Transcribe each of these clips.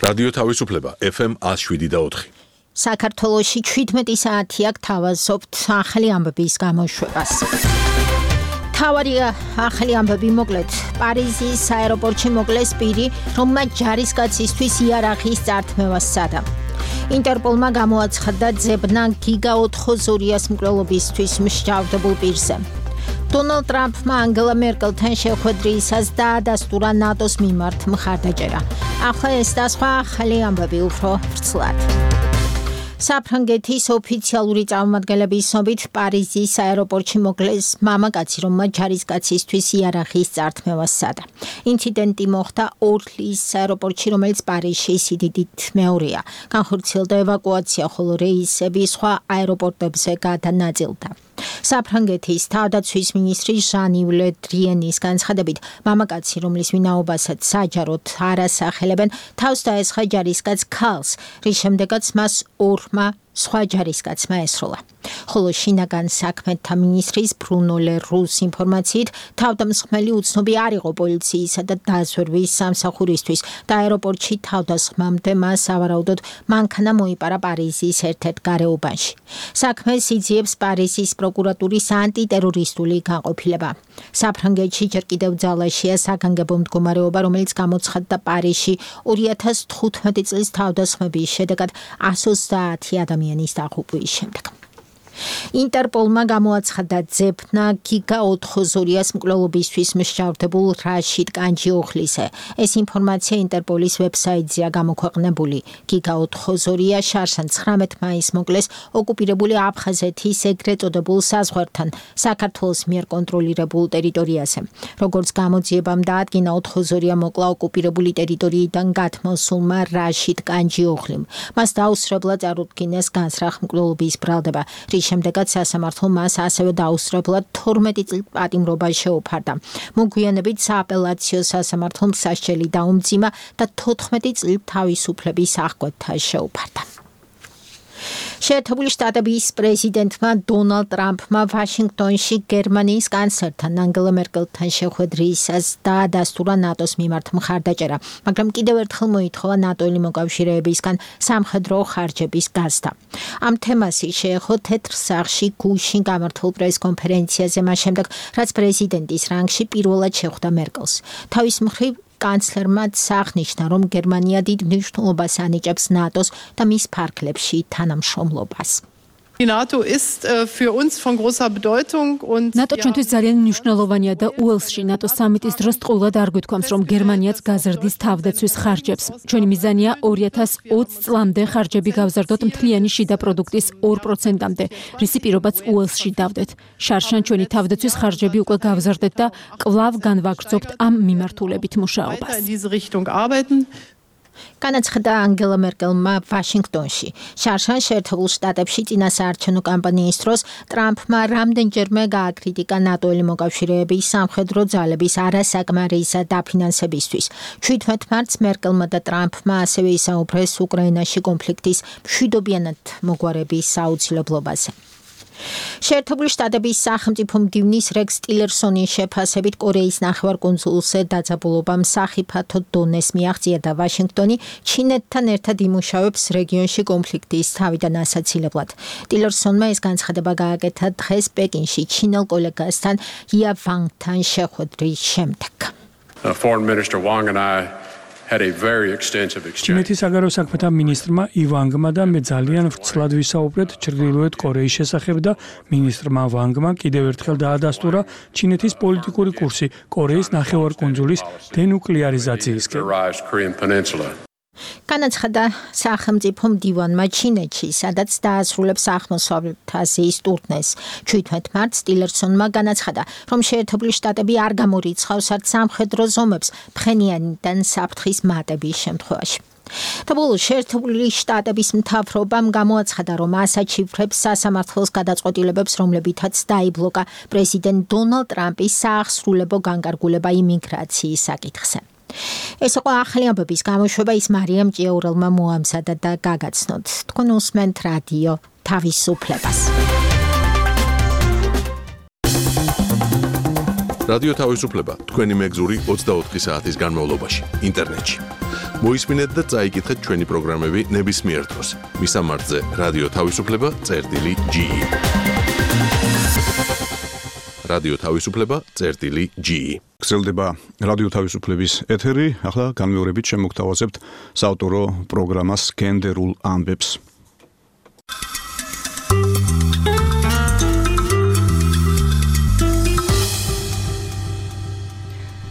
რადიო თავისუფლება FM 107.4. საქართველოში 17 საათი აქ თავაზობთ ახალი ამბების გამოშვებას. თავარი ახალი ამბები მოკლედ. პარიზის აეროპორტში მოკლეს პირი, რომელმაც ჯარისკაცისთვის იარაღის წართმევას სცადა. ინტერპოლმა გამოაცხადა ძებნა გიგა ოთხოზორიას მკვლელობისთვის მსჯავრდებულ პირზე. დონალდ ტრამპმა ანგელა მერკელთან შეხვედრისას დაადასტურა ნატოს მიმართ მხარდაჭერა. ახლა ეს და სხვა ახალი ამბები უფრო ვრცლად. საფრანგეთის ოფიციალური წარმომადგენლების ცნობით პარიზის აეროპორტში მოკლეს მამაკაცი, რომელმაც ჯარისკაცისთვის იარაღის წართმევას სცადა. ინციდენტი მოხდა ორლის აეროპორტში, რომელიც პარიზში სიდიდით მეორეა. განხორციელდა ევაკუაცია, ხოლო რეისები სხვა აეროპორტებზე გადანაწილდა. საფრანგეთის თავდაცვის მინისტრი ჟან-იվ ლე დრიენის განცხადებით, მამაკაცი, რომლის ვინაობასაც საჯაროდ არ ასახელებენ, თავს დაესხა ჯარისკაც ქალს, რის შემდეგაც მას ორმა სხვა ჯარისკაცმა ესროლა. ხოლო შინაგან საქმეთა მინისტრის ბრუნო ლე რუს ინფორმაციით, თავდამსხმელი უცნობი არ იყო პოლიციისა და დაზვერვის სამსახურისთვის და აეროპორტში თავდასხმამდე მას სავარაუდოდ მანქანა მოიპარა პარიზის ერთ-ერთ გარეუბანში. საქმეს იძიებს პარიზის პროკურატურის ანტიტერორისტული განყოფილება. საფრანგეთში ჯერ კიდევ ძალაშია საგანგებო მდგომარეობა, რომელიც გამოცხადდა პარიზში 2015 წლის თავდასხმების შედეგად 130 ადამიანის დაღუპვის შემდეგ. ინტერპოლმა გამოაცხადა ძებნა გიგა ოთხოზორიას მკვლელობისთვის მსჯავრდებულ რაშიდ კანჯიოხლიზე. ეს ინფორმაცია ინტერპოლის ვებსაიტზეა გამოქვეყნებული. გიგა ოთხოზორია შარშან 19 მაისს მოკლეს ოკუპირებული აფხაზეთის ეგრეთ წოდებულ საზღვართან, საქართველოს მიერ კონტროლირებულ ტერიტორიაზე. როგორც გამოძიებამ დაადგინა, ოთხოზორია მოკლა ოკუპირებული ტერიტორიიდან გათმოსულმა რაშიდ კანჯიოხლიმ. მას დაუსწრებლად წარუდგინეს განსრახ მკვლელობის ბრალდება. შემდეგაც სასამართლომ მას ასევე დაუსწრებლად 12 წლის პატიმრობა შეუფარდა. მოგვიანებით სააპელაციო სასამართლომ სასჯელი დაუმძიმა და 14 წლის თავისუფლების აღკვეთა შეუფარდა. შეერთებული შტატების პრეზიდენტმა დონალდ ტრამპმა ვაშინგტონში გერმანიის კანცლერთან ანგელა მერკელთან შეხვედრისას დაადასტურა ნატოს მიმართ მხარდაჭერა, მაგრამ კიდევ ერთხელ მოითხოვა ნატოელი მოკავშირეებისგან სამხედრო ხარჯების გაზრდა. ამ თემას შეეხო თეთრ სახლში გუშინ გამართულ პრესკონფერენციაზე მას შემდეგ, რაც პრეზიდენტის რანგში პირველად შეხვდა მერკელს. თავის მხრივ კანცლერმა აღნიშნა, რომ გერმანია დიდ მნიშვნელობას ანიჭებს ნატოს და მის ფარგლებში თანამშრომლობას. Die NATO ist für uns von großer Bedeutung und NATO ჩვენთვის ძალიან მნიშვნელოვანია და უელსში NATO სამიტის დროს ტყუილად არ გვითქვამს, რომ გერმანიაც გაზრდის თავდაცვის ხარჯებს. ჩვენი მიზანია 2020 წლამდე ხარჯები გავზარდოთ მთლიანი შიდა პროდუქტის 2%-მდე, რისი პირობაც უელსში დავდეთ. შარშან ჩვენი თავდაცვის ხარჯები უკვე გავზარდეთ და კვლავ განვაგრძობთ ამ მიმართულებით მუშაობას. განაცხადა ანგელა მერკელმა ვაშინგტონში. შარშან შეერთებულ შტატებში წინასაარჩევნო კამპანიის დროს ტრამპმა რამდენჯერმე გააკრიტიკა ნატოელი მოკავშირეების სამხედრო ძალების არასაკმარისა დაფინანსებისთვის. 17 მარტს მერკელმა და ტრამპმა ასევე ისაუბრეს უკრაინაში კონფლიქტის მშვიდობიანად მოგვარების საუცილებლობაზე. შეერთებული შტატების სახელმწიფო მდივნის რეკს ტილერსონის შეფასებით კორეის ნახევარკუნძულზე დაძაბულობა სახიფათო დონეს მიაღწია და ვაშინგტონი ჩინეთთან ერთად იმუშავებს რეგიონში კონფლიქტის თავიდან ასაცილებლად. ტილერსონმა ეს განცხადება გააკეთა დღეს პეკინში ჩინელ კოლეგასთან ია ვანგთან შეხვედრის შემდეგ. Foreign Minister Wang and I had a very extensive exchange. ჩინეთის საგარეო საქმეთა მინისტრმა ივანგმა და მე ძალიან ვრცლად ვისაუბრეთ ჩრდილოეთ კორეის შესახებ და მინისტრმა ვანგმა კიდევ ერთხელ დაადასტურა ჩინეთის პოლიტიკური კურსი კორეის ნახევარკუნძულის დენუკლეარიზაციისკენ. განაცხადა სახელმწიფო მდივანმა ჩინეთში, სადაც დაასრულებს აღმოსავლეთ აზიის ტურნეს. 17 მარტს ტილერსონმა განაცხადა, რომ შეერთებული შტატები არ გამორიცხავს არც სამხედრო ზომებს ფხენიანიდან საფრთხის მატების შემთხვევაში. და ბოლოს შეერთებული შტატების მთავრობამ გამოაცხადა, რომ ასაჩივრებს სასამართლოს გადაწყვეტილებებს, რომლებითაც დაიბლოკა პრეზიდენტ დონალდ ტრამპის საახსრულებო განკარგულება იმიგრაციის საკითხზე. ეს იყო ახალი ამბების გამოშვება, ის მარიამ ჭიაურელმა მოამზადა და გაგაცნოთ. თქვენ უსმენთ რადიო თავისუფლებას. რადიო თავისუფლება თქვენი მეგზური 24 საათის განმავლობაში ინტერნეტში. მოისმინეთ და წაიკითხეთ ჩვენი პროგრამები ნებისმიერ დროს. მისამართზე რადიო თავისუფლება წერტილი.ge. რადიო თავისუფლება წერტილი.ge. გრძელდება რადიო თავისუფლების ეთერი. ახლა განმეორებით შემოგთავაზებთ საავტორო პროგრამას გენდერულ ამბებს.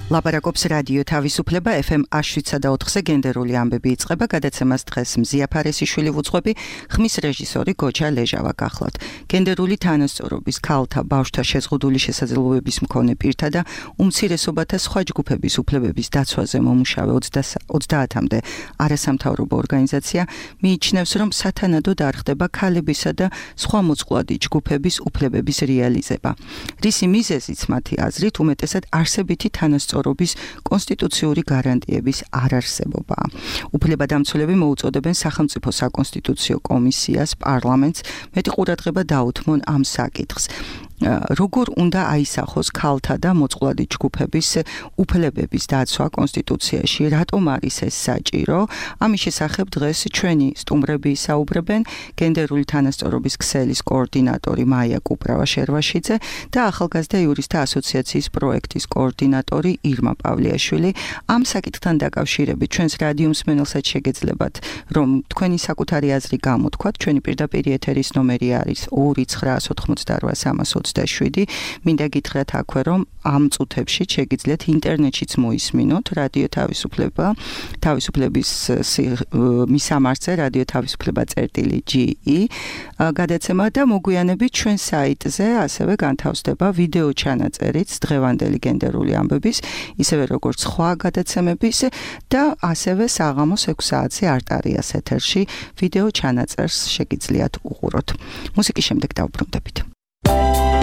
ლაპარაკობს რადიო თავისუფლება FM 107.4-ზე გენდერული ამბები იწყება. გადაცემას დღეს მზია ფარესიშვილი ვუძღვები, ხმის რეჟისორი გოჯა ლეჟავა გახლავთ. გენდერული თანასწორობის, ქალთა, ბავშვთა შეზღუდული შესაძლებლობების მქონე პირთა და უმცირესობათა სხვა ჯგუფების უფლებების დაცვაზე მომუშავე 30-მდე არასამთავრობო ორგანიზაცია მიიჩნევს, რომ სათანადოდ არ ხდება ქალებისა და სხვა მოწყვლადი ჯგუფების უფლებების რეალიზება. რისი მიზეზიც მათი აზრით უმეტესად არსებითი თანასწორობის კონსტიტუციური გარანტიების არარსებობა. უფლებადამცველები მოუწოდებენ სახელმწიფო საკონსტიტუციო კომისიას, პარლამენტს მეტი ყურადღება დაუთმონ ამ საკითხს. როგორ უნდა აისახოს ქალთა და მოწყვლადი ჯგუფების უფლებების დაცვა კონსტიტუციაში, რატომ არის ეს საჭირო? ამის შესახებ დღეს ჩვენი სტუმრები ისაუბრებენ, გენდერული თანასწორობის ქსელის კოორდინატორი მაია კუპრავა-შერვაშიძე და ახალგაზრდა იურისტთა ასოციაციის პროექტის კოორდინატორი ირმა პავლიაშვილი. ამ საკითხთან დაკავშირებით ჩვენს რადიო მსმენელსაც შეგეძლებათ, რომ თქვენი საკუთარი აზრი გამოთქვათ. ჩვენი პირდაპირ ეთერის ნომერი არის 2988300 მინდა გითხრათ აქვე, რომ ამ წუთებში შეგიძლიათ ინტერნეტშიც მოისმინოთ რადიო თავისუფლება, თავისუფლების მისამართზე რადიო თავისუფლება წერტილი.ge გადაცემა და მოგვიანებით ჩვენ საიტზე ასევე განთავსდება ვიდეო ჩანაწერიც დღევანდელი გენდერული ამბების, ისევე როგორც სხვა გადაცემების და ასევე საღამოს 6 საათზე არტარიას ეთერში ვიდეო ჩანაწერს შეგიძლიათ უყუროთ. მუსიკის შემდეგ დავბრუნდებით. Thank you.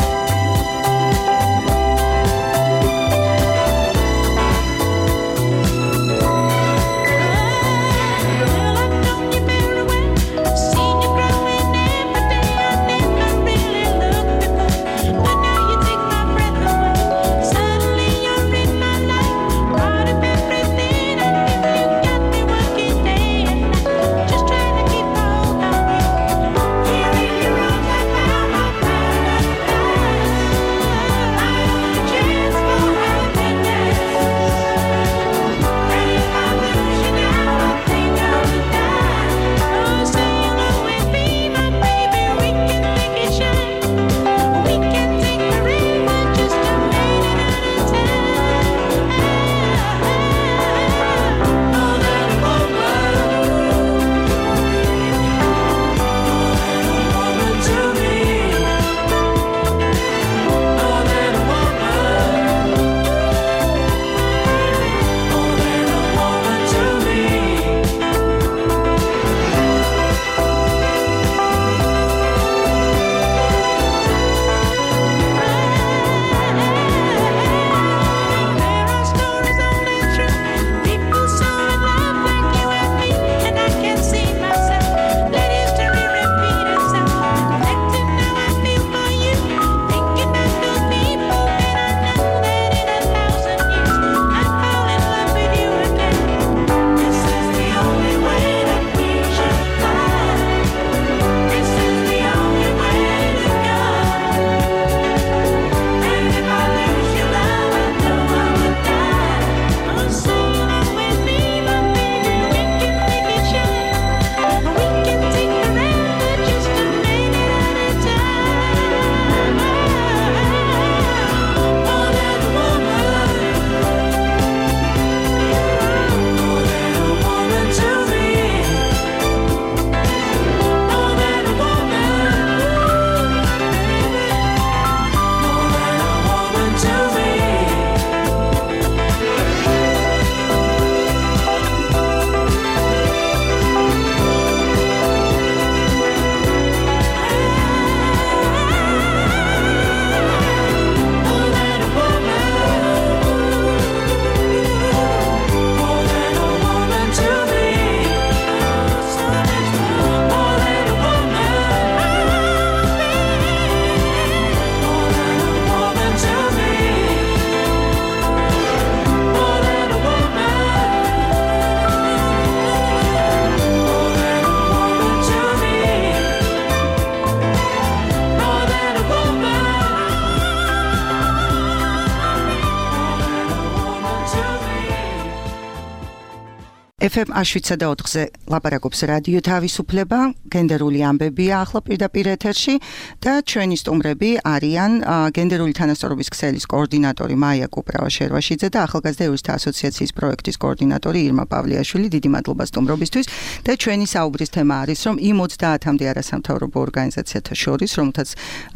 FM 107.4-ზე ლაპარაკობს რადიო თავისუფლება, გენდერული ამბებია ახლა პირდაპირ ეთერში და ჩვენი სტუმრები არიან გენდერული თანასწორობის ქსელის კოორდინატორი მაია კუპრავა-შერვაშიძე და ახალგაზრდა იურისტთა ასოციაციის პროექტის კოორდინატორი ირმა პავლიაშვილი. დიდი მადლობა სტუმრობისთვის და ჩვენი საუბრის თემა არის, რომ იმ 30-მდე არასამთავრობო ორგანიზაციათა შორის, რომელთაც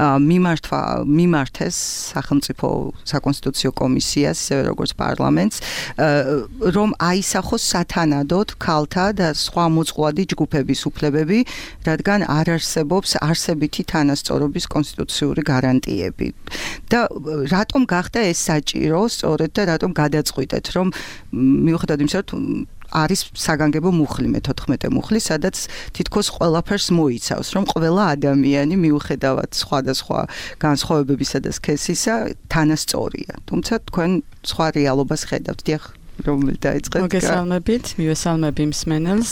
მიმართეს სახელმწიფო საკონსტიტუციო კომისიას, ისევე როგორც პარლამენტს, რომ აისახოს სათანადოდ ქალთა და სხვა მოწყვლადი ჯგუფების უფლებები, რადგან არ არსებობს არსებითი თანასწორობის კონსტიტუციური გარანტიები. და რატომ გახდა ეს საჭირო, სწორედ და რატომ გადაწყვიტეთ, რომ მიუხედავად იმისა, რომ არის საგანგებო მუხლი, მე-14 მუხლი, სადაც თითქოს ყველაფერს მოიცავს, რომ ყველა ადამიანი მიუხედავად სხვადასხვა განსხვავებებისა და სქესისა თანასწორია. თუმცა თქვენ სხვა რეალობას ხედავთ, დიახ. რომელი დაიწყეთ? მოგესალმებით, მივესალმები მსმენელს.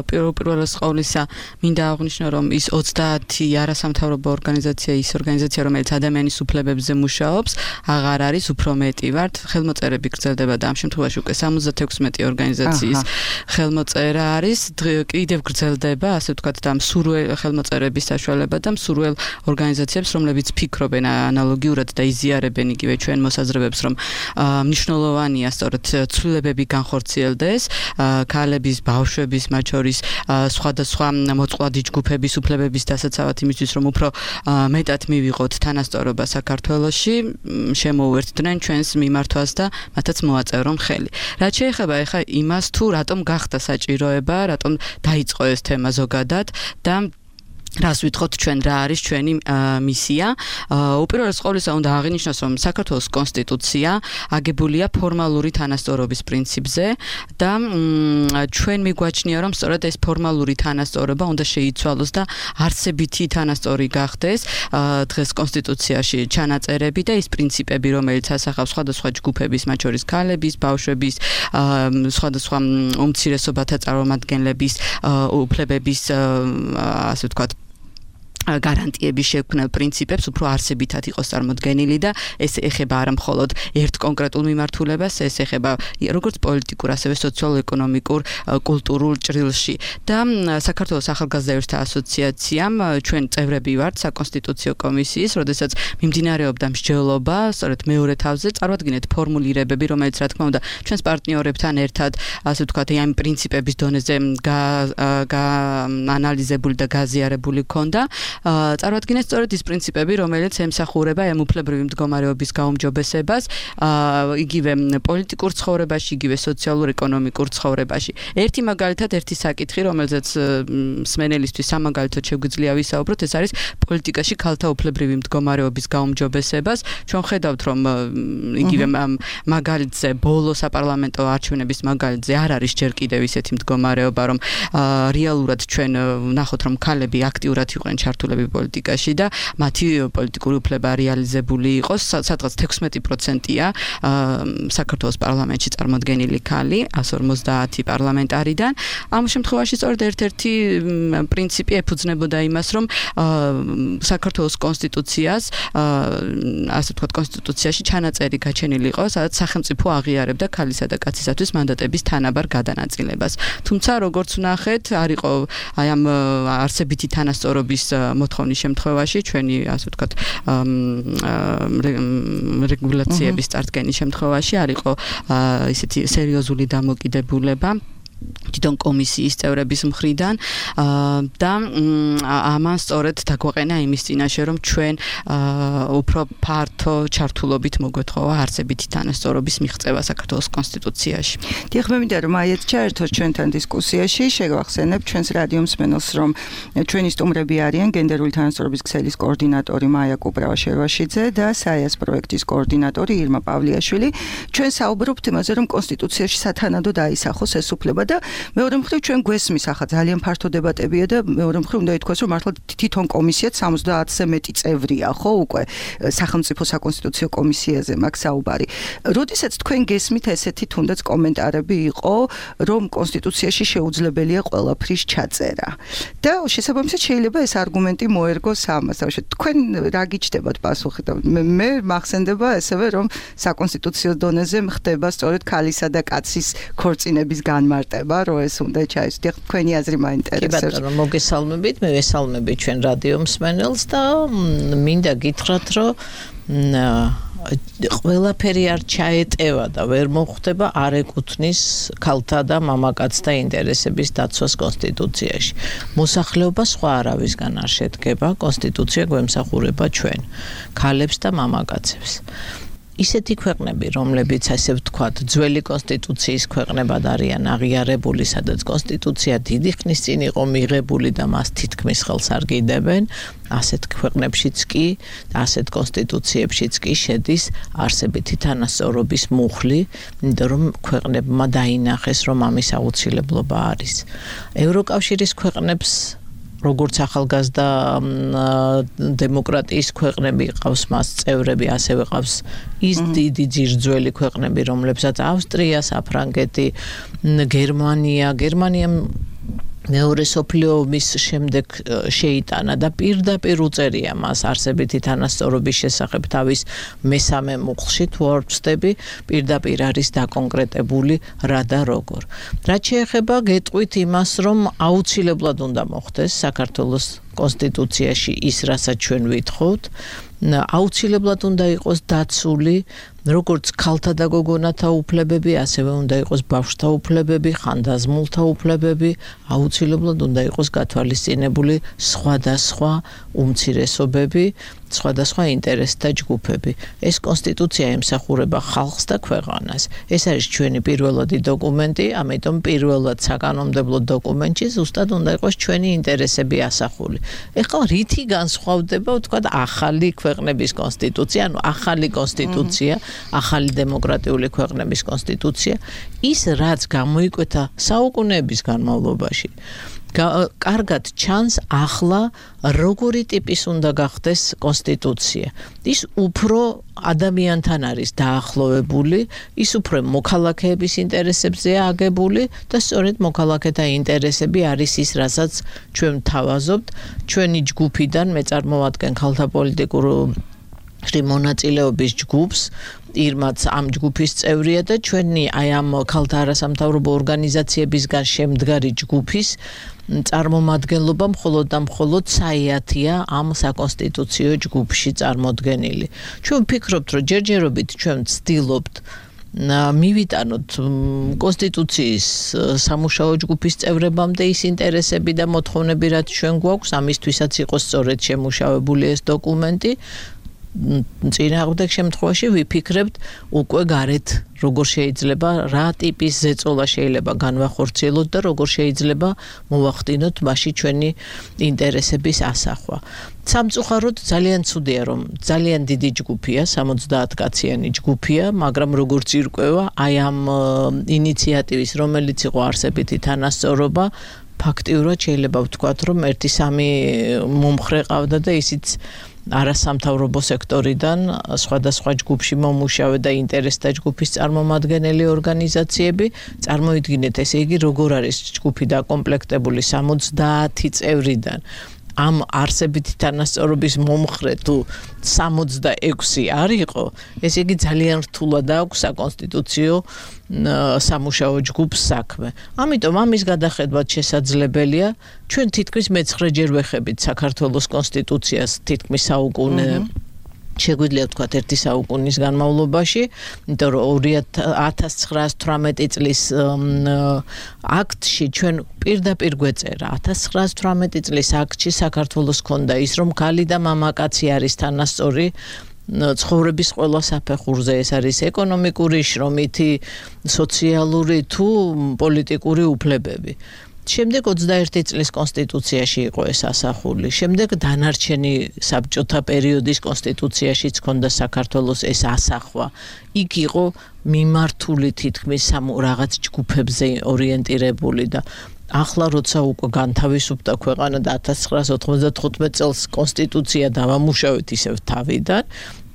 პირველ ყოვლისა მინდა აღვნიშნო, რომ ის 30 არასამთავრობო ორგანიზაცია ის ორგანიზაცია, რომელიც ადამიანის უფლებებზე მუშაობს, აღარ არის, უფრო მეტი ვართ. ხელმოწერები გრძელდება და ამ შემთხვევაში უკვე 76 ორგანიზაციის ხელმოწერა არის. კიდევ გრძელდება, ასე ვთქვათ, და მსურველ ხელმოწერების საშუალება და მსურველ ორგანიზაციებს, რომლებიც ფიქრობენ ანალოგიურად და იზიარებენ იგივე ჩვენ მოსაზრებებს, რომ მნიშვნელოვანია სწორედ ცვლილებები განხორციელდეს ქალების, ბავშვების, მათ შორის სხვადასხვა მოწყვლადი ჯგუფების უფლებების დასაცავად იმისთვის, რომ უფრო მეტად მივიღოთ თანასწორობა საქართველოში, შემოუერთდნენ ჩვენს მიმართვას და მათაც მოაწერონ ხელი. რაც შეეხება ახლა იმას, თუ რატომ გახდა საჭიროება, რატომ დაიწყო ეს თემა ზოგადად და რას ვითხოვთ ჩვენ, რა არის ჩვენი მისია. უპირველეს ყოვლისა უნდა აღინიშნოს, რომ საქართველოს კონსტიტუცია აგებულია ფორმალური თანასწორობის პრინციპზე და ჩვენ მიგვაჩნია, რომ სწორედ ეს ფორმალური თანასწორობა უნდა შეიცვალოს და არსებითი თანასწორი გახდეს დღეს კონსტიტუციაში ჩანაწერები და ის პრინციპები, რომელიც ასახავს სხვადასხვა ჯგუფების, მათ შორის ქალების, ბავშვების, სხვადასხვა უმცირესობათა წარმომადგენლების უფლებების, ასე ვთქვათ, გარანტიების შექმნილ პრინციპებს უფრო არსებითად იყოს წარმოდგენილი და ეს ეხება არა მხოლოდ ერთ კონკრეტულ მიმართულებას, ეს ეხება როგორც პოლიტიკურ, ასევე სოციალურ-ეკონომიკურ, კულტურულ ჭრილში. და საქართველოს ახალგაზრდა იურისტთა ასოციაციამ ჩვენ წევრები ვართ საკონსტიტუციო კომისიის, როდესაც მიმდინარეობდა მსჯელობა, სწორედ მეორე თავზე წარვადგინეთ ფორმულირებები, რომელიც რა თქმა უნდა ჩვენს პარტნიორებთან ერთად, ასე ვთქვათ, ამ პრინციპების დონეზე გაანალიზებული და გაზიარებული ქონდა. წარვადგინეთ სწორედ ის პრინციპები, რომელიც ემსახურება ამ უფლებრივი მდგომარეობის გაუმჯობესებას, იგივე პოლიტიკურ ცხოვრებაში, იგივე სოციალურ-ეკონომიკურ ცხოვრებაში. ერთი მაგალითად, ერთი საკითხი, რომელზეც მსმენელისთვის სამაგალითოდ შეგვიძლია ვისაუბროთ, ეს არის პოლიტიკაში ქალთა უფლებრივი მდგომარეობის გაუმჯობესებას. ჩვენ ხედავთ, რომ იგივე მაგალითზე, ბოლო საპარლამენტო არჩევნების მაგალითზე არ არის ჯერ კიდევ ისეთი მდგომარეობა, რომ რეალურად ჩვენ ვნახოთ, რომ ქალები აქტიურად იყვნენ ჩართულები პოლიტიკაში და მათი პოლიტიკური უფლება რეალიზებული იყოს, სადღაც 16%-ია საქართველოს პარლამენტში წარმოდგენილი ქალი 150 პარლამენტარიდან. ამ შემთხვევაში სწორედ ერთ-ერთი პრინციპი ეფუძნებოდა იმას, რომ საქართველოს კონსტიტუციას, ასე ვთქვათ, კონსტიტუციაში ჩანაწერი გაჩენილი იყო, სადაც სახელმწიფო აღიარებდა ქალისა და კაცისათვის მანდატების თანაბარ გადანაწილებას. თუმცა, როგორც ვნახეთ, არ იყო აი ამ არსებითი თანასწორობის მოთხოვნის შემთხვევაში, ჩვენი, ასე ვთქვათ, რეგულაციების წარდგენის შემთხვევაში არ იყო ისეთი სერიოზული დამოკიდებულება თვითონ კომისიის წევრების მხრიდან და ამან სწორედ დაგვაყენა იმის წინაშე, რომ ჩვენ უფრო ფართო ჩართულობით მოგვეთხოვა არსებითი თანასწორობის მიღწევა საქართველოს კონსტიტუციაში. დიახ, მე მინდა რომ აიეთ ჩაერთოს ჩვენთან დისკუსიაში, შევახსენებ ჩვენს რადიო მსმენელს, რომ ჩვენი სტუმრები არიან გენდერული თანასწორობის ქსელის კოორდინატორი მაია კუპრავა-შერვაშიძე და საიას პროექტის კოორდინატორი ირმა პავლიაშვილი. ჩვენ საუბრობთ იმაზე, რომ კონსტიტუციაში სათანადოდ აისახოს ეს უფლება და მეორე მხრივ ჩვენ გვესმის ახლა ძალიან ფართო დებატებია და მეორე მხრივ უნდა ითქვას, რომ მართლა თვითონ კომისიაც 70-ზე მეტი წევრია, ხო, უკვე სახელმწიფო საკონსტიტუციო კომისიაზე მაქვს საუბარი. როდესაც თქვენ გესმით ესეთი თუნდაც კომენტარები იყო, რომ კონსტიტუციაში შეუძლებელია ყველაფრის ჩაწერა. და შესაბამისად შეიძლება ეს არგუმენტი მოერგოს ამას. თქვენ რა გიჩნდებათ პასუხი? მე მახსენდება ესევე, რომ საკონსტიტუციო დონეზე ხდება სწორედ ქალისა და კაცის ქორწინების განმარტება. ეხება, რომ ეს უნდა ჩაისვიდე. თქვენი აზრი მაინტერესებს. კი ბატონო, მოგესალმებით, მე ვესალმები ჩვენ რადიო მსმენელს და მინდა გითხრათ, რომ ყველაფერი არ ჩაეტევა და ვერ მოხვდება არ ეკუთვნის ქალთა და მამაკაცთა ინტერესების დაცვას კონსტიტუციაში. მოსახლეობა სხვა არავისგან არ შედგება, კონსტიტუცია გვემსახურება ჩვენ, ქალებს და მამაკაცებს. ისეთი ქვეყნები, რომლებიც ასე ვთქვათ, ძველი კონსტიტუციის ქვეყნებად არიან აღიარებული, სადაც კონსტიტუცია დიდი ხნის წინ იყო მიღებული და მას თითქმის ხელს არ გიდებენ, ასეთ ქვეყნებშიც კი, ასეთ კონსტიტუციებშიც კი შედის არსებითი თანასწორობის მუხლი, იმიტომ რომ ქვეყნებმა დაინახეს, რომ ამის აუცილებლობა არის. ევროკავშირის ქვეყნებს როგორც ახალგაზრდა დემოკრატიის ქვეყნები ყავს მას წევრები, ასევე ყავს ის დიდი ძირძველი ქვეყნები, რომლებსაც ავსტრია, საფრანგეთი, გერმანია მეორე მსოფლიო ომის შემდეგ შეიტანა და პირდაპირ უწერია მას არსებითი თანასწორობის შესახებ თავის მესამე მუხლში, თუ არ ვცდები, პირდაპირ არის დაკონკრეტებული რა და როგორ. რაც შეეხება გეტყვით იმას, რომ აუცილებლად უნდა მოხდეს საქართველოს კონსტიტუციაში ის, რასაც ჩვენ ვითხოვთ, აუცილებლად უნდა იყოს დაცული როგორც ქალთა და გოგონათა უფლებები, ასევე უნდა იყოს ბავშვთა უფლებები, ხანდაზმულთა უფლებები, აუცილებლად უნდა იყოს გათვალისწინებული სხვადასხვა უმცირესობები, სხვადასხვა ინტერესთა ჯგუფები. ეს კონსტიტუცია ემსახურება ხალხს და ქვეყანას. ეს არის ჩვენი პირველადი დოკუმენტი, ამიტომ პირველად საკანონმდებლო დოკუმენტში ზუსტად უნდა იყოს ჩვენი ინტერესები ასახული. ეხლა რითი განსხვავდება, ვთქვათ, ახალი ქვეყნების კონსტიტუცია, ანუ ახალი კონსტიტუცია, ახალი დემოკრატიული ქვეყნების კონსტიტუცია, ის რაც გამოიკვეთა საუკუნეების განმავლობაში. კარგად ჩანს ახლა როგორი ტიპის უნდა გახდეს კონსტიტუცია. ის უფრო ადამიანთან არის დაახლოვებული, ის უფრო მოქალაქეების ინტერესებზეა აგებული და სწორედ მოქალაქეთა ინტერესები არის ის, რასაც ჩვენ ვთავაზობთ. ჩვენი ჯგუფიდან მე წარმოვადგენ ქალთა პოლიტიკურ მონაწილეობის ჯგუფს, ირმაც ამ ჯგუფის წევრია და ჩვენი აი ამ ქალთა არასამთავრობო ორგანიზაციებისგან შემდგარი ჯგუფის წარმომადგენლობა მხოლოდ და მხოლოდ საიათია ამ საკონსტიტუციო ჯგუფში წარმოდგენილი. ჩვენ ვფიქრობთ, რომ ჯერჯერობით ჩვენ ვცდილობთ მივიტანოთ კონსტიტუციის სამუშაო ჯგუფის წევრებამდე ის ინტერესები და მოთხოვნები, რაც ჩვენ გვაქვს, ამისთვისაც იყოს სწორედ შემუშავებული ეს დოკუმენტი. წინააღმდეგ შემთხვევაში ვიფიქრებთ უკვე გარეთ როგორ შეიძლება რა ტიპის ზეწოლა შეიძლება განვახორციელოთ და როგორ შეიძლება მოვახდინოთ მასში ჩვენი ინტერესების ასახვა. სამწუხაროდ ძალიან ცუდია, რომ ძალიან დიდი ჯგუფია, 70 კაციანი ჯგუფია, მაგრამ როგორც ირკვევა, აი ამ ინიციატივის, რომელიც იყო არსებითი თანასწორობა, ფაქტიურად შეიძლება ვთქვათ, რომ 1-3 მომხრე ყავდა და ისიც არასამთავრობო სექტორიდან სხვადასხვა ჯგუფში მომუშავე და ინტერესთა ჯგუფის წარმომადგენელი ორგანიზაციები. წარმოიდგინეთ, ესე იგი, როგორ არის ჯგუფი დაკომპლექტებული 70 წევრიდან. ამ არსებითი თანასწორობის მომხრე თუ 66 არ იყო, ესე იგი ძალიან რთულად აქვს საკონსტიტუციო სამუშაო ჯგუფს საქმე. ამიტომ ამის გადახედვა შესაძლებელია. ჩვენ თითქმის მე-9-ჯერ ვეხებით საქართველოს კონსტიტუციას თითქმის საუკუნე შეგვიძლია ვთქვათ 1 საუკუნის განმავლობაში, იმიტომ რომ 1918 წლის აქტში ჩვენ პირდაპირ გვეწერა. 1918 წლის აქტში საქართველოს ჰქონდა ის, რომ ქალი და მამაკაცი არის თანასწორი ცხოვრების ყველა საფეხურზე, ეს არის ეკონომიკური, შრომითი, სოციალური თუ პოლიტიკური უფლებები. შემდეგ 21 წლის კონსტიტუციაში იყო ეს ასახული. შემდეგ დანარჩენი საბჭოთა პერიოდის კონსტიტუციაშიც ჰქონდა საქართველოს ეს ასახვა. იქ იყო მიმართული თითქმის რაღაც ჯგუფებზე ორიენტირებული და ახლა როცა უკვე განთავისუფლდა ქვეყანა და 1995 წელს კონსტიტუცია დავამუშავეთ ისევ თავიდან,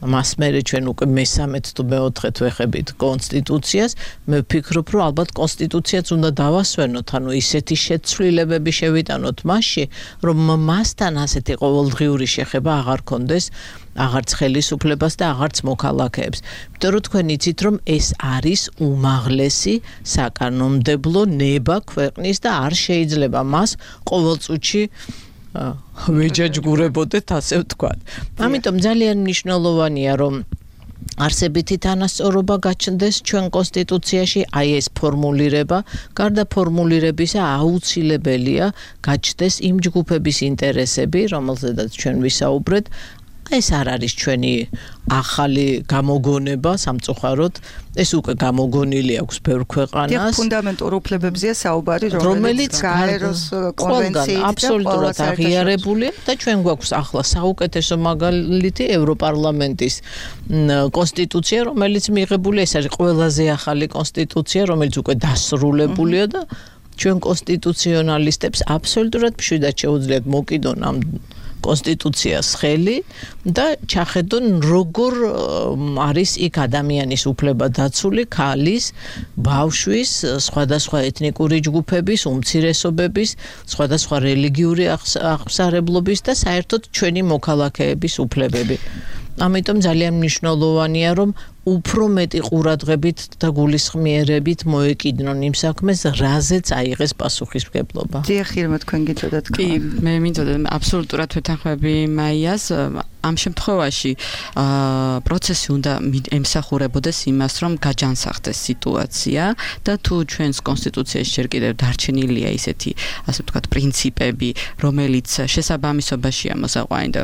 მას მერე ჩვენ უკვე მესამედ თუ მეოთხედ ვეხებით კონსტიტუციას, მე ვფიქრობ, რომ ალბათ კონსტიტუციაც უნდა დავასვენოთ, ანუ ისეთი შეცვლილებები შევიტანოთ მასში, რომ მასთან ასეთი ყოველდღიური შეხება აღარ კონდეს აღარც ხელისუფლებას და აღარც მოქალაქეებს. იმიტომ რომ თქვენ იცით, რომ ეს არის უმაღლესი საკანონმდებლო ნება ქვეყნის და არ შეიძლება მას ყოველ წუთში ვეჯაჯგურებოდეთ, ასე ვთქვათ. ამიტომ ძალიან მნიშვნელოვანია, რომ არსებითი თანასწორობა გაჩნდეს ჩვენ კონსტიტუციაში, აი ეს ფორმულირება, გარდა ფორმულირებისა აუცილებელია გაჩნდეს იმ ჯგუფების ინტერესები, რომელზედაც ჩვენ ვისაუბრეთ. ეს არ არის ჩვენი ახალი გამოგონება სამწუხაროდ, ეს უკვე გამოგონილი აქვს ბევრ ქვეყანას. ფუნდამენტურ უფლებებზეა საუბარი, რომელიც გაეროს კონვენციით აბსოლუტურად აღიარებულია და ჩვენ გვაქვს ახლა საუკეთესო მაგალითი ევროპარლამენტის კონსტიტუცია, რომელიც მიღებულია, ეს არის ყველაზე ახალი კონსტიტუცია, რომელიც უკვე დასრულებულია და ჩვენ კონსტიტუციონალისტებს აბსოლუტურად მშვიდად შეუძლიათ მოკიდონ ამ კონსტიტუციას ხელი და ჩახედონ როგორ არის იქ ადამიანის უფლება დაცული, ქალის, ბავშვის, სხვადასხვა ეთნიკური ჯგუფების, უმცირესობების, სხვადასხვა რელიგიური აღსარებლობის და საერთოდ ჩვენი მოქალაქეების უფლებები. ამიტომ ძალიან მნიშვნელოვანია, რომ უფრო მეტი ყურადღებით და გულისხმიერებით მოეკიდნონ იმ საქმეს, რაზეც აიღეს პასუხისმგებლობა. დიახ, ირმა, თქვენ გიწოდათ თქვა. კი, მე მინდოდა აბსოლუტურად ვეთანხმები მაიას. ამ შემთხვევაში პროცესი უნდა ემსახურებოდეს იმას, რომ გაჯანსაღდეს სიტუაცია და თუ ჩვენს კონსტიტუციაში ჯერ კიდევ დარჩენილია ისეთი, ასე ვთქვათ, პრინციპები, რომელიც შესაბამისობაშია მოსაყვანი და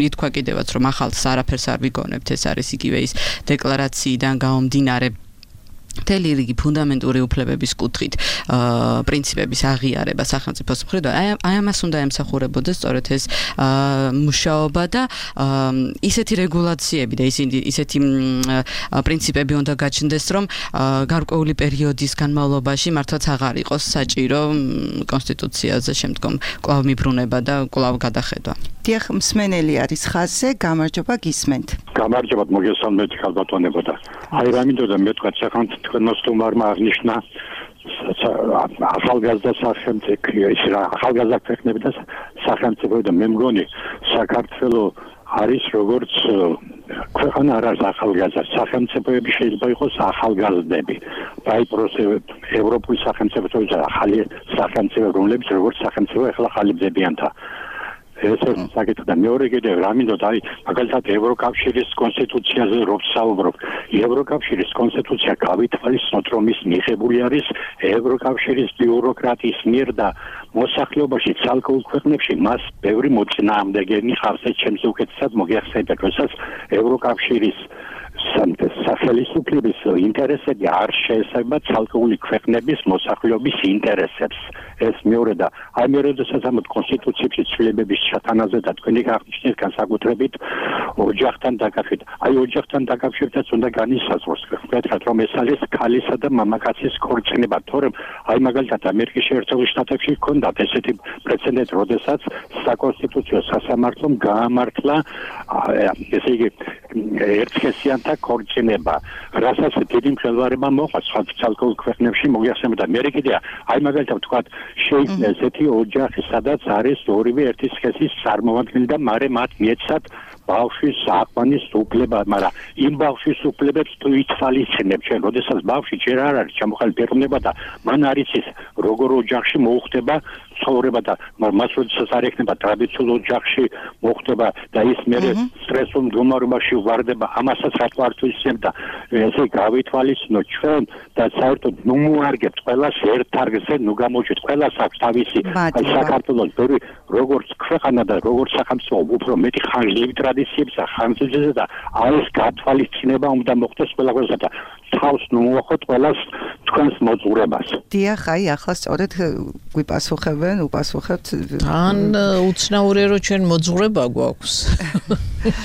ითქვა კიდევაც, რომ ახალს არაფერს არ ვიგონებთ, ეს არის იგივე ის დეკლარაციიდან გამომდინარე მთელი რიგი ფუნდამენტური უფლებების კუთხით პრინციპების აღიარება სახელმწიფოს მხრიდან, აი ამას უნდა ემსახურებოდეს სწორედ ეს მუშაობა და ისეთი რეგულაციები და ისეთი პრინციპები უნდა გაჩნდეს, რომ გარკვეული პერიოდის განმავლობაში მართლაც აღარ იყოს საჭირო კონსტიტუციაზე შემდგომ კვლავ მიბრუნება და კვლავ გადახედვა. დიახ, მსმენელი არის ხაზზე, გამარჯობა, გისმენთ. გამარჯობა, მოგესალმებით ხალბატონებო და აი რა მინდოდა მეთქვა თქვენმა სტუმარმა აღნიშნა ახალგაზრდა სახელმწიფო, ის რა ახალგაზრდა ქვეყნები და სახელმწიფო და მე მგონი საქართველოს არის როგორც ქვეყანა არ არის ახალგაზრდა, სახელმწიფოები შეიძლება იყოს ახალგაზრდები. აი ევროპული სახელმწიფოები და ახალი სახელმწიფო, რომლებიც როგორც სახელმწიფო ახლა ხალიდებიანთა ეს საკითხი და მეორე კიდევ რა მინდოდა აი მაგალითად ევროკავშირის კონსტიტუციაზე რო ვსაუბრობ, ევროკავშირის კონსტიტუცია გავითვალისწინოთ, რომ ის მიღებული არის ევროკავშირის ბიუროკრატიის მიერ და მოსახლეობაში ცალკეულ ქვეყნებში მას ბევრი მოწინააღმდეგენი ხავს, ეს ჩემს უკეთესად მოგეხსენებათ, როდესაც ევროკავშირის სახელმწიფოების ინტერესები არ შეესაბამება ცალკეული ქვეყნების მოსახლეობის ინტერესებს. ეს მეორე და აი მე როდესაც ამ კონსტიტუციაში ცვლილებების ჩატანაზე და თქვენი აღნიშნეთ განსაკუთრებით ოჯახთან დაკავშირებით. აი ოჯახთან დაკავშირებაც უნდა განისაზღვროს, ვთქვათ, რომ ეს არის ქალისა და მამაკაცის ქორწინება, თორემ აი მაგალითად ამერიკის შეერთებულ შტატებში ჰქონდათ ესეთი პრეცედენტი, როდესაც საკონსტიტუციო სასამართლომ გაამართლა ესე იგი ერთსქესიანთა ქორწინება, რასაც დიდი მხედველობა მოყვა სხვა ცალკეულ ქვეყნებში მოგეხსენებათ და მე კიდე აი მაგალითად ვთქვათ შეიძლება ესეთი ოჯახი, სადაც არის ორივე ერთი სქესის წარმომადგენელი და მარე მათ მიეცათ ბავშვის აყვანის უფლება, მაგრამ იმ ბავშვის უფლებებს თუ ითვალისწინებ ჩვენ, როდესაც ბავშვი ჯერ არ არის ჩამოყალიბ პიროვნება და მან არის ის როგორ ოჯახში მოუხდება ცხოვრება და მას როდესაც არ ექნება ტრადიციულ ოჯახში მოუხდება და ის მერე სტრესულ მდგომარეობაში ვარდება, ამასაც რა თქმა უნდა ესე გავითვალისწინოთ ჩვენ და საერთოდ ნუ მოარგებთ ყველას ერთ თარგზე, ნუ გამოჩვით ყველას აქვს თავისი აი საქართველოს ბევრი როგორც ქვეყანა და როგორც სახელმწიფო უფრო მეტი ხანგრძლივი ტრადიციებს და ხანგრძლივი და არის გათვალისწინება უნდა მოხდეს ყველასა და თავს ნუ მოახოთ ყველას თქვენს მოძღვრებას. დიახ, აი ახლა სწორედ გვიპასუხებენ, უპასუხებთ. ან უცნაურია რომ ჩვენ მოძღვრება გვაქვს.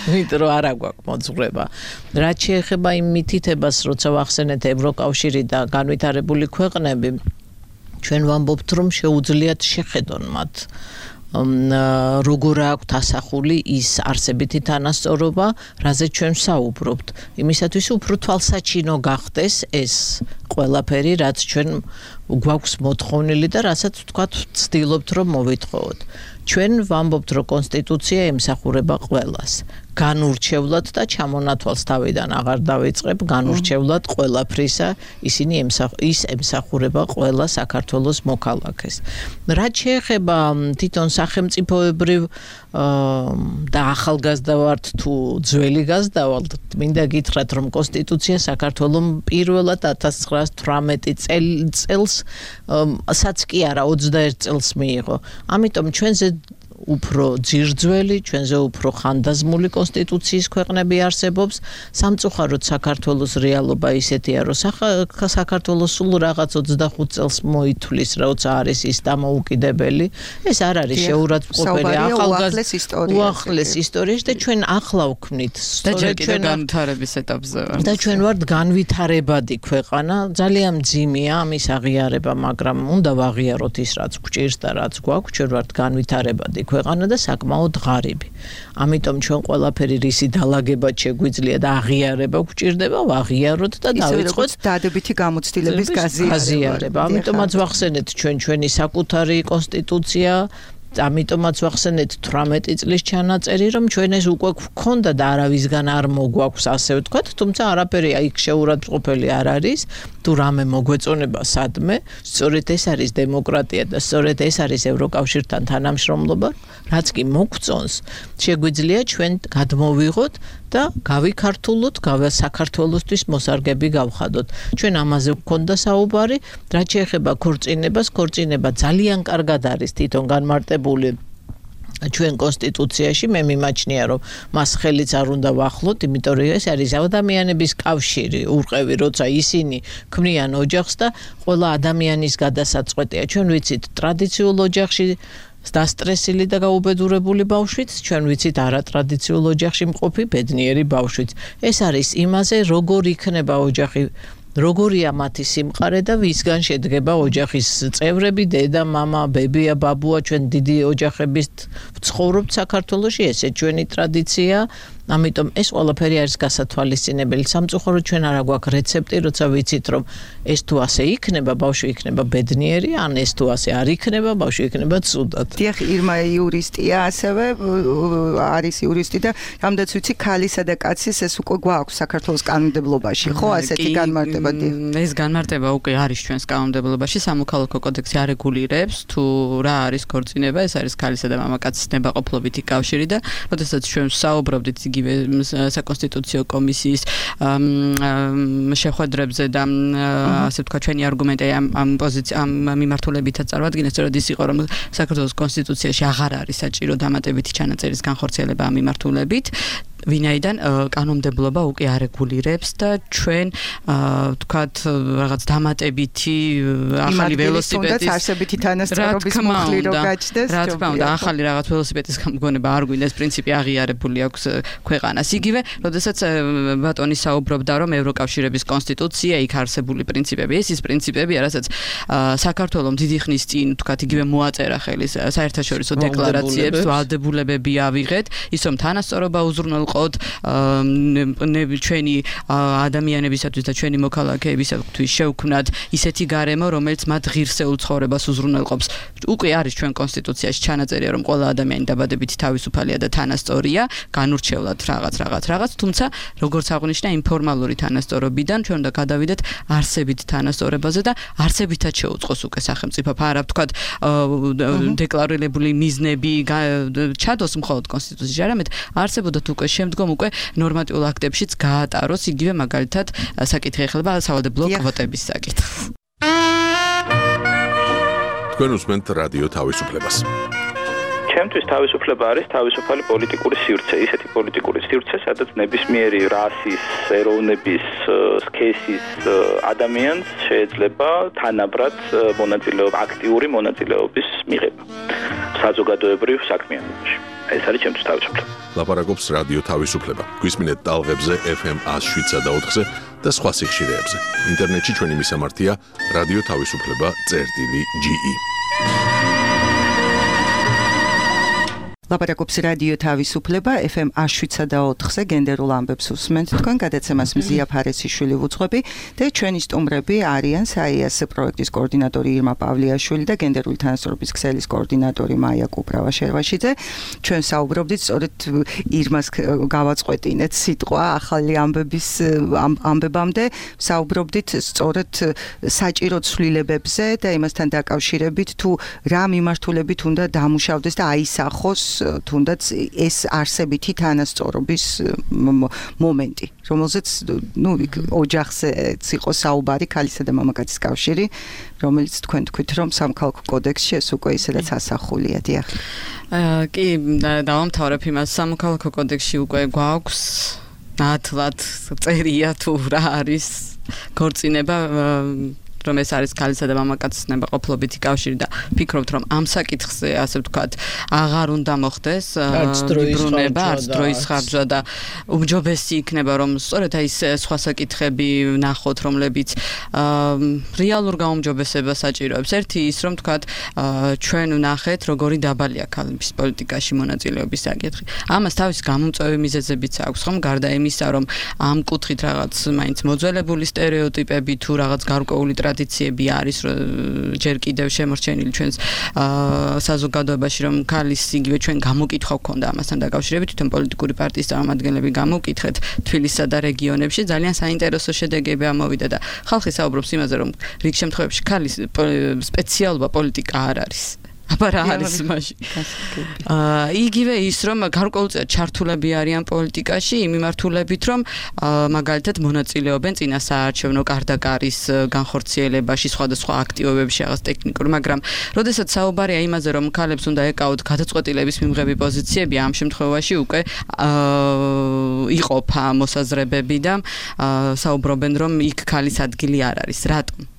იმიტომ რომ არა გვაქვს მოძღვრება. რაც შეეხება იმ მითითებას, როცა ვახსენეთ ევროკავშირი და განვითარებული ქვეყნები, ჩვენ ვამბობთ, რომ შეუძლიათ შეხედონ მათ როგორ აქვთ ასახული ის არსებითი თანასწორობა, რაზეც ჩვენ ვსაუბრობთ. იმისათვის უფრო თვალსაჩინო გახდეს ეს ყველაფერი, რაც ჩვენ გვაქვს მოთხოვნილი და რასაც ვთქვათ, ვცდილობთ რომ მოვითხოვოთ. ჩვენ ვამბობთ, რომ კონსტიტუცია ემსახურება ყველას. განურჩევლად და ჩამონათვალს თავიდან აღარ დავიწყებ, განურჩევლად ყველაფრისა ისინი ემსახურება ყველა საქართველოს მოქალაქეს. რაც შეეხება თვითონ სახელმწიფოებრივ და ახალგაზრდა ვართ თუ ძველი გაზრდა ვართ, მინდა გითხრათ, რომ კონსტიტუცია საქართველოს პირველად 1918 წელსაც კი არა 21 წელს მიიღო. ამიტომ ჩვენზე უფრო ძირძველი, ჩვენზე უფრო ხანდაზმული კონსტიტუციის ქვეყნები არსებობს. სამწუხაროდ საქართველოს რეალობა ისეთია, რომ საქართველოს სულ რაღაც 25 წელს მოითვლის, როცა არის ის დამოუკიდებელი. ეს არ არის შეურაცხყოფელი უახლეს ისტორიაში და ჩვენ ახლა ვქმნით. სწორედ ჩვენ განვითარების ეტაპზე ვართ. და ჩვენ ვართ განვითარებადი ქვეყანა, ძალიან მძიმეა ამის აღიარება, მაგრამ უნდა ვაღიაროთ ის, რაც გვჭირს და რაც გვაქვს, ჩვენ ვართ განვითარებადი ქვეყანა და საკმაოდ ღარიბი. ამიტომ ჩვენ ყველაფერი რისი დალაგებად შეგვიძლია და აღიარება გვჭირდება, ვაღიაროთ და დავიწყოთ დადებითი გამოცდილების გაზიარება. ამიტომაც ვახსენეთ ჩვენი საკუთარი კონსტიტუცია, ამიტომაც ვახსენეთ 18 წლის ჩანაწერი, რომ ჩვენ ეს უკვე გვქონდა და არავისგან არ მოგვაქვს, ასე ვთქვათ, თუმცა არაფერი იქ შეურაცხყოფელი არ არის. თუ რამე მოგვეწონება სადმე, სწორედ ეს არის დემოკრატია და სწორედ ეს არის ევროკავშირთან თანამშრომლობა, რაც კი მოგწონს, შეგვიძლია ჩვენ გადმოვიღოთ და გავიქართულოთ, საქართველოსთვის მოსარგები გავხადოთ. ჩვენ ამაზე გვქონდა საუბარი, რაც შეეხება ქორწინებას, ქორწინება ძალიან კარგად არის თვითონ განმარტებული ჩვენ კონსტიტუციაში. მე მიმაჩნია, რომ მას ხელიც არ უნდა ვახლოთ, იმიტომ რომ ეს არის ადამიანების კავშირი, ურყევი, როცა ისინი ქმნიან ოჯახს და ყველა ადამიანის გადასაწყვეტია. ჩვენ ვიცით ტრადიციულ ოჯახში დასტრესილი და გაუბედურებული ბავშვიც, ჩვენ ვიცით არატრადიციულ ოჯახში მყოფი ბედნიერი ბავშვიც. ეს არის იმაზე, როგორ იქნება ოჯახი, როგორია მათი სიმყარე და ვისგან შედგება ოჯახის წევრები, დედა, მამა, ბებია, ბაბუა, ჩვენ დიდი ოჯახების ვცხოვრობთ საქართველოში, ესე ჩვენი ტრადიცია. ამიტომ ეს ყველაფერი არის გასათვალისწინებელი. სამწუხაროდ ჩვენ არა გვაქვს რეცეპტი, როცა ვიცით, რომ ეს თუ ასე იქნება, ბავშვი იქნება ბედნიერი, ან ეს თუ ასე არ იქნება, ბავშვი იქნება ცუდად. დიახ, ირმა იურისტია, ასევე არის იურისტი და რამდენიც ვიცი, ქალისა და კაცის ეს უკვე გვაქვს საქართველოს კანონმდებლობაში, ხო, ასეთი განმარტება? ეს განმარტება უკვე არის ჩვენს კანონმდებლობაში, სამოქალაქო კოდექსი არეგულირებს თუ რა არის ქორწინება, ეს არის ქალისა და მამაკაცის ნებაყოფლობითი კავშირი და როდესაც ჩვენ ვსაუბრობდით საკონსტიტუციო კომისიის შეხვედრებზე და ასე ვთქვათ ჩვენი არგუმენტი ამ მიმართულებითაც წარვადგინეს, სწორედ ის იყო, რომ საქართველოს კონსტიტუციაში აღარ არის საჭირო დამატებითი ჩანაწერის განხორციელება ამ მიმართულებით. ვინაიდან კანონმდებლობა უკვე არეგულირებს და ჩვენ ვთქვათ რაღაც დამატებითი ახალი ველოსიპედის არსებითი თანასწორობის მოხლი რო გაჩნდეს, რა თქმა უნდა, ახალი რაღაც ველოსიპედის გამოგონება არ გვინდა, ეს პრინციპი აღიარებული აქვს ქვეყანას. იგივე, როდესაც ბატონი საუბრობდა, რომ ევროკავშირების კონსტიტუცია, იქ არსებული პრინციპები, ეს პრინციპები, რასაც საქართველოს დიდი ხნის წინ, ვთქვათ, იგივე მოაწერა ხელი საერთაშორისო დეკლარაციებს, ვალდებულებები ავიღეთ, ის რომ თანასწორობა უზრუნველყოთ ჩვენი ადამიანებისათვის და ჩვენი მოქალაქეებისათვის შევქმნათ ისეთი გარემო, რომელიც მათ ღირსეულ ცხოვრებას უზრუნველყოფს. უკვე არის ჩვენ კონსტიტუციაში ჩანაწერია, რომ ყველა ადამიანი დაბადებითი თავისუფალია და თანასწორია, განურჩევლად რაღაც, თუმცა როგორც აღნიშნა ინფორმალური თანასწორობიდან ჩვენ უნდა გადავიდეთ არსებით თანასწორებაზე და არსებითაც შეუწყოს უკვე სახელმწიფო არა ვთქვათ დეკლარირებული მიზნები ჩადოს მხოლოდ კონსტიტუციაში, არამედ არსებობდათ უკვე შემდგომ უკვე ნორმატიულ აქტებშიც გაატაროს, იგივე მაგალითად საკითხი ეხება სავალდებულო კვოტების საკითხს. თქვენ უსმენთ რადიო თავისუფლებას. ჩემთვის თავისუფლება არის თავისუფალი პოლიტიკური სივრცე, ისეთი პოლიტიკური სივრცე, სადაც ნებისმიერი რასის, ეროვნების, სქესის ადამიანს შეიძლება თანაბრად აქტიური მონაწილეობის მიღება საზოგადოებრივ საქმიანობაში. ეს არის ჩემთვის თავისუფლება. ლაპარაკობს რადიო თავისუფლება. გვისმინეთ ტალღებზე FM 107.4-ზე და სხვა სიხშირეებზე. ინტერნეტში ჩვენი მისამართია radio-tavisupleba.ge. ლაპარაკობს რადიო თავისუფლება FM 107.4-ზე გენდერულ ამბებს უსმენთ თქვენ გადაცემას მზია ფარესიშვილი ვუძღვები და ჩვენი სტუმრები არიან საიას პროექტის კოორდინატორი ირმა პავლიაშვილი და გენდერული თანასწორობის ქსელის კოორდინატორი მაია კუპრავა-შერვაშიძე. ჩვენ საუბრობდით სწორედ ირმას გავაწყვეტინეთ სიტყვა ახალი ამბების ამბებამდე საუბრობდით სწორედ საჭირო ცვლილებებზე და იმასთან დაკავშირებით თუ რა მიმართულებით უნდა დამუშავდეს და აისახოს თუნდაც ეს არსებითი თანასწორობის მომენტი, რომელზეც ოჯახზე იყო საუბარი ქალისა და მამაკაცის კავშირი, რომელიც თქვენ თქვით, რომ სამხალხო კოდექსში ეს უკვე ისედაც ასახულია, დიახ. კი, დავამთავრებ იმას, სამხალხო კოდექსში უკვე გვაქვს ნათლად წერია თუ რა არის ქორწინება რომ ეს არის ქალისა და მამაკაცის ნებაყოფლობითი კავშირი და ფიქრობთ რომ ამ საკითხზე ასე ვთქვათ აღარ უნდა მოხდეს ბრუნება, არც დროის ხარჯვა და უმჯობესი იქნება რომ სწორედ აი ეს სხვა საკითხები ნახოთ რომლებიც რეალურ გაუმჯობესებას საჭიროებს. ერთი ის რომ ვთქვათ ჩვენ ვნახეთ როგორი დაბალია ქალების პოლიტიკაში მონაწილეობის საკითხი. ამას თავის გამომწვევი მიზეზებიც აქვს ხომ გარდა იმისა რომ ამ კუთხით რაღაც მაინც მოძველებული სტერეოტიპები თუ რაღაც გარკვეული ტრადიციები არის ჯერ კიდევ შემორჩენილი ჩვენს საზოგადოებაში რომ ქალის იგივე ჩვენ გამოკითხვა გქონდა ამასთან დაკავშირებით თვითონ პოლიტიკური პარტიის წარმომადგენლები გამოკითხეთ თბილისსა და რეგიონებში ძალიან საინტერესო შედეგები ამოვიდა და ხალხი საუბრობს იმაზე რომ რიგ შემთხვევებში ქალის სპეციალობა პოლიტიკა არ არის. აბა რა არის მაშინ? იგივე ის რომ გარკვეულწილად ჩართულები არიან პოლიტიკაში იმ მიმართულებით რომ მაგალითად მონაწილეობენ წინასაარჩევნო კარდაკარის განხორციელებაში სხვადასხვა აქტივობებში რაღაც ტექნიკური, მაგრამ როდესაც საუბარია იმაზე რომ ქალებს უნდა ეკავოთ გადაწყვეტილების მიმღები პოზიციები, ამ შემთხვევაში უკვე იყოფა მოსაზრებები და საუბრობენ რომ იქ ქალის ადგილი არ არის.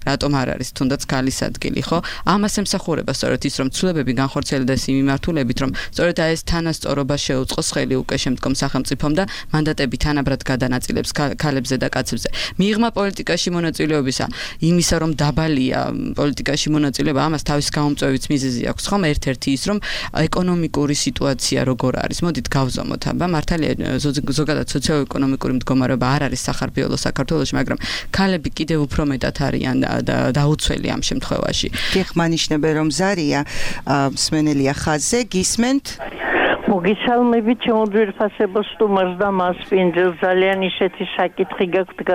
რატომ არ არის თუნდაც ქალის ადგილი, ხო? ამას ემსახურება სწორედ ის რომ ცვლილებები განხორციელდეს იმ მიმართულებით, რომ სწორედ ეს თანასწორობა შეუწყოს ხელი უკვე შემდგომ სახელმწიფომ და მანდატები თანაბრად გადანაწილებს ქალებზე და კაცებზე. მიღმა პოლიტიკაში მონაწილეობისა, იმისა რომ დაბალია პოლიტიკაში მონაწილეობა, ამას თავის გამომწვევიც მიზეზი აქვს, ხომ? ერთ-ერთი ის რომ ეკონომიკური სიტუაცია როგორ არის. მოდით გავზომოთ, აბა მართალია ზოგადად სოციო-ეკონომიკური მდგომარეობა არ არის სახარბიელო საქართველოში, მაგრამ ქალები კიდევ უფრო მეტად არიან დაუცველი ამ შემთხვევაში. გიხმანიშნებენ რომ ზარია მსმენელია ხაზზე, გისმენთ? მოგესალმებით ჩემო ძვირფასებო სტუმარს და მასპინძელს ძალიან ისეთი საკითხი გაქვთ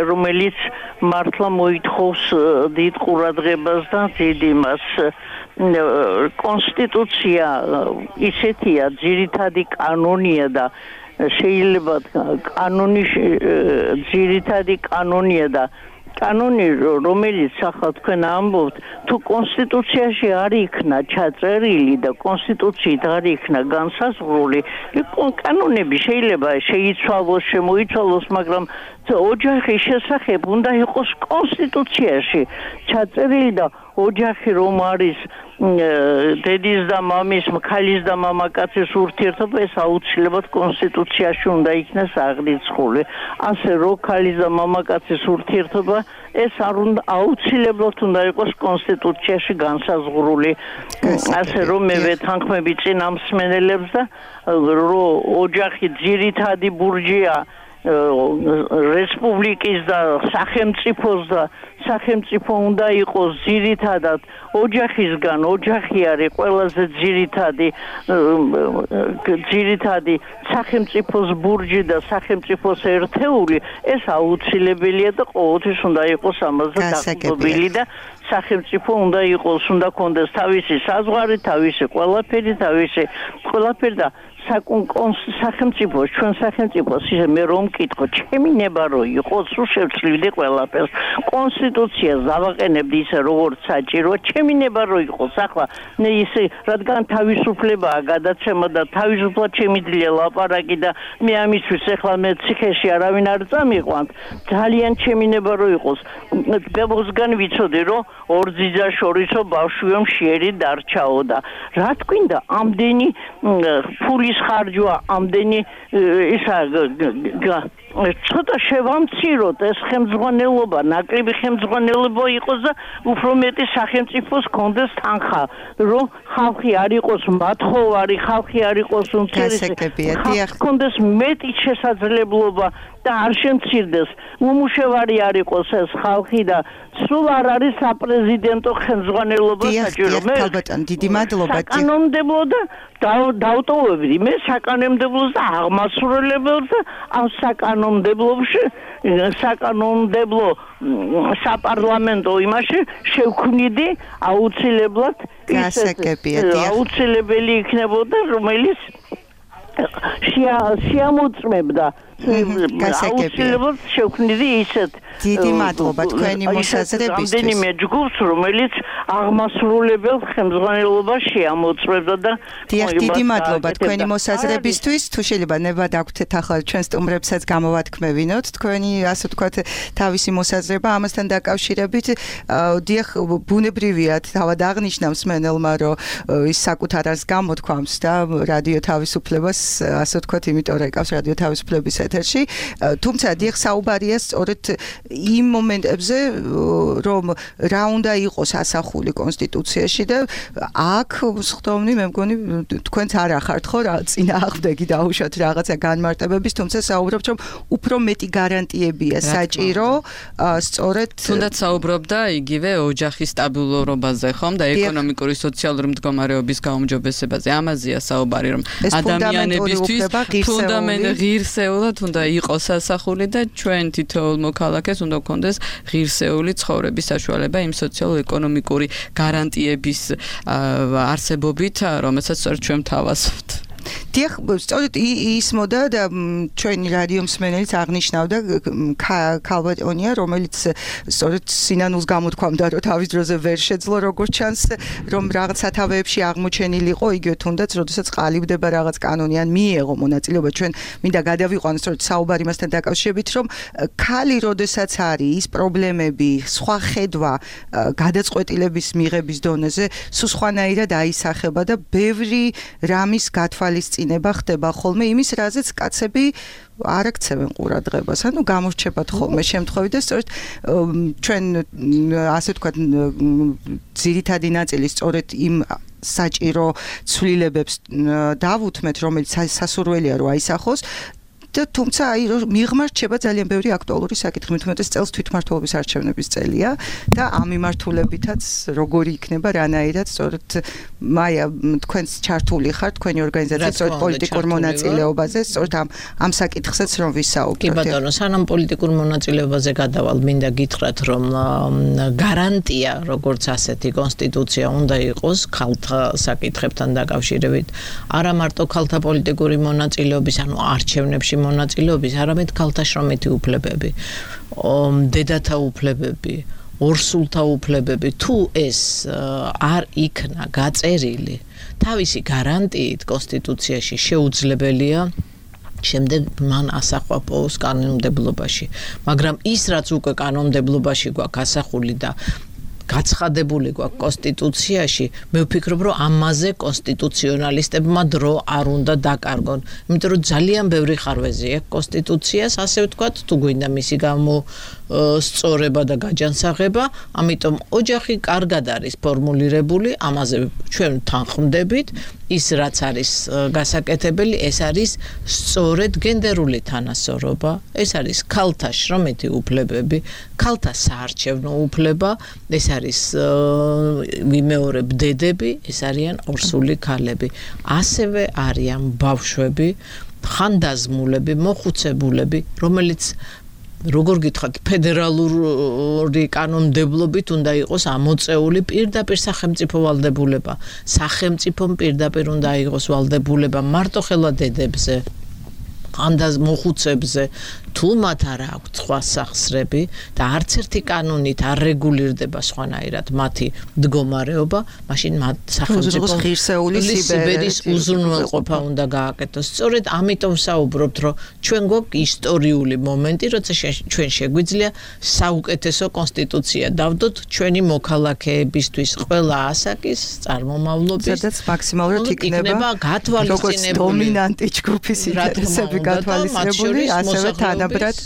რომელიც მართლა მოითხოვს დიდ ყურადღებას და დიდ იმას. კონსტიტუცია ისეთია ძირითადი კანონია და შეიძლება კანონის ძირითადი კანონია და კანონი რომელიც ახლა თქვენ ამბობთ თუ კონსტიტუციაში არ იქნა ჩაწერილი და კონსტიტუციით არ იქნა განსაზღვრული კანონები შეიძლება შეიცვალოს შემოიცვალოს მაგრამ ოჯახის შესახებ უნდა იყოს კონსტიტუციაში ჩაწერილი და ოჯახი რომ არის დედის და მამის, ქალის და მამაკაცის ურთიერთობა ეს აუცილებლად კონსტიტუციაში უნდა იქნას აღრიცხული. ასე რომ ქალის და მამაკაცის ურთიერთობა ეს არ უნდა აუცილებლად უნდა იყოს კონსტიტუციაში განსაზღვრული. ასე რომ მე ვეთანხმები წინა მსმენელებს და რომ ოჯახი ძირითადი ბურჯია რესპუბლიკის და სახელმწიფოს და სახელმწიფო უნდა იყოს ძირითადად ოჯახისგან ოჯახი არის ყველაზე ძირითადი სახელმწიფოს ბურჯი და სახელმწიფოს ერთეული ეს აუცილებელია და ყოველთვის უნდა იყოს ამაზე დაყრდნობილი და სახელმწიფო უნდა იყოს უნდა კონდეს თავისი საზღვარი თავისი ყველაფერი და სახელმწიფო ჩვენ სახელმწიფოს ისე მე რომ მკითხო ჩემი ნება რო იყოს სულ შევცვლივდი ყველაფერს კონსტიტუცია დავაყენებდი ისე როგორც საჭიროა ჩემი ნება რო იყოს ახლა ისე რადგან თავისუფლებაა გადაცემა და თავისუფლად შემიძლია ლაპარაკი და მე ამისთვის ახლა მე ციხეში არავინ არ წამიყვანთ ძალიან ჩემი ნება რო იყოს ბებოსგან ვიცოდი რომ ორ ძიძა შორისო ბავშვიო მშიერი დარჩაო და რა თქვინდა ამდენი ფულის ხარჯვა ამდენი ისა ცოტა შევამციროთ ეს ხელმძღვანელობა, ნაკლები ხელმძღვანელობა იყოს და უფრო მეტი სახელმწიფოს კონდეს თანხა, რომ ხალხი არ იყოს მათხოვარი, ხალხი არ იყოს უმცირესი, ხალხს კონდეს მეტი შესაძლებლობა და არ შემცირდეს, უმუშევარი არ იყოს ეს ხალხი და სულ არ არის საპრეზიდენტო ხელმძღვანელობა საჭირო. მე დიდი მადლობა. საკანონმდებლო და დავტოვებდი მე საკანონმდებლოს და აღმასრულებელს და ამ საკანონმდებლო საპარლამენტო იმაში შევქმნიდი აუცილებლად აუცილებელი იქნებოდა რომელიც შეამოწმებდა აუცილებლად შევქმნიდი ისეთ დიდი მადლობა თქვენი მოსაზრებისთვის. რამდენიმე ჯგუფს, რომელიც აღმასრულებელ ხელმძღვანელობას შეამოწმებდა და დიდი მადლობა თქვენი მოსაზრებისთვის. თუ შეიძლება ნება დაგვთეთ ახლა ჩვენ სტუმრებსაც გამოვათქმევინოთ თქვენი ასე ვთქვათ თავისი მოსაზრება ამასთან დაკავშირებით. დიახ, ბუნებრივია თავად აღნიშნავს მენელმა, რომ ის საკუთარ არს გამოთქვამს და რადიო თავისუფლებას ასე ვთქვათ, იმიტომ რომ ეკავს რადიო თავისუფლების ეთერში. თუმცა დიახ, საუბარია სწორედ იმ მომენტებზე, რომ რა უნდა იყოს ასახული კონსტიტუციაში და აქ სხდომნი მე მგონი თქვენც არ ახართ ხო რა წინააღმდეგი დაუშვათ რაღაცა განმარტებების, თუმცა საუბრობთ რომ უფრო მეტი გარანტიებია საჭირო სწორედ თუნდაც საუბრობდა იგივე ოჯახის სტაბილურობაზე ხომ და ეკონომიკური სოციალური მდგომარეობის გაუმჯობესებაზე. ამაზეა საუბარი რომ ადამიანებისთვის ფუნდამენტი ღირსეულად უნდა იყოს ასახული და ჩვენ თითოეულ მოქალაქეს უნდა გქონდეს ღირსეული ცხოვრების საშუალება იმ სოციალურ-ეკონომიკური გარანტიების არსებობით, რომელსაც ჩვენ ვთავაზობთ. დიახ, სწორედ ის მოდა და ჩვენი რადიო მსმენელიც აღნიშნავდა ქალბატონია, რომელიც სწორედ სინანულს გამოთქვამდა, რომ თავის დროზე ვერ შეძლო როგორც ჩანს, რომ რაღაც სათავეებში აღმოჩენილიყო, იგივე თუნდაც, როდესაც ყალიბდება რაღაც კანონი ან მიეღო მონაწილეობა, ჩვენ მინდა გადავიყვანოთ სწორედ საუბარი მასთან დაკავშირებით, რომ ქალი როდესაც არის ის პრობლემები, სხვა ხედვა გადაწყვეტილების მიღების დონეზე, სულ სხვანაირად აისახება და ბევრი რამის გათვალისწინება ხდება ხოლმე იმის, რაზეც კაცები არ აქცევენ ყურადღებას. ანუ გამორჩებათ ხოლმე შემთხვევით და სწორედ ჩვენ ასე ვთქვათ ძირითადი ნაწილი სწორედ იმ საჭირო ცვლილებებს დავუთმეთ, რომელიც სასურველია რომ აისახოს. თუმცა აი რომ მიღმა რჩება ძალიან ბევრი აქტუალური საკითხი, მithumetes წელს თვითმმართველობის არჩევნების წელია და ამ მიმართულებითაც როგორი იქნება რანაირად სწორედ მაია თქვენს ჩართული ხარ თქვენი ორგანიზაცია სწორედ პოლიტიკურ მონაწილეობაზე, სწორედ ამ საკითხსაც რომ ვისაუბროთ. კი ბატონო, სანამ პოლიტიკურ მონაწილეობაზე გადავალ, მინდა გითხრათ რომ გარანტია როგორც ასეთი კონსტიტუცია უნდა იყოს ქალთა საკითხებთან დაკავშირებით, არა მარტო ქალთა პოლიტიკური მონაწილეობის, ანუ არჩევნებში მონაწილეობის, არამედ ქალთა შრომითი უფლებები, დედათა უფლებები, ორსულთა უფლებები, თუ ეს არ იქნა გაწერილი თავისი გარანტიით კონსტიტუციაში შეუძლებელია შემდეგ მან ასახვა პოუს კანონმდებლობაში, მაგრამ ის რაც უკვე კანონმდებლობაში გვაქვს ასახული და გაცხადებული გვაქვს კონსტიტუციაში, მე ვფიქრობ, რომ ამაზე კონსტიტუციონალისტებმა დრო არ უნდა დაკარგონ, იმიტომ რომ ძალიან ბევრი ხარვეზი აქვს კონსტიტუციას, ასე ვთქვათ, თუ გვინდა მისი სწორება და გაჯანსაღება, ამიტომ ოჯახი კარგად არის ფორმულირებული, ამაზე ჩვენ თანხმდებით, ის რაც არის გასაკეთებელი, ეს არის სწორედ გენდერული თანასწორობა, ეს არის ქალთა შრომითი უფლებები, ქალთა საარჩევნო უფლება, ეს არის ვიმეორებ დედები, ეს არიან ორსული ქალები, ასევე არიან ბავშვები, ხანდაზმულები, მოხუცებულები, რომელიც როგორ გითხრათ, ფედერალური კანონმდებლობით უნდა იყოს ამოწეული პირდაპირ სახელმწიფო ვალდებულება. სახელმწიფომ პირდაპირ უნდა იყოს ვალდებულება მარტო ხელა დედებზე, მოხუცებზე, თუ მათ არ აქვთ სხვა სახსრები და არც ერთი კანონით არ რეგულირდება სხვანაირად მათი მდგომარეობა, მაშინ მათ სახელმწიფო ღირსეული სიბერის უზრუნველყოფა უნდა გააკეთოს. სწორედ ამიტომ ვსაუბრობთ, რომ ჩვენ გვაქვს ისტორიული მომენტი, როცა ჩვენ შეგვიძლია საუკეთესო კონსტიტუცია დავდოთ ჩვენი მოქალაქეებისთვის, ყველა ასაკის წარმომავლობის, სადაც მაქსიმალურად იქნება გათვალისწინებული დომინანტი ჯგუფის ინტერესები გათვალისწინებული, ასევე თანა თანაბრად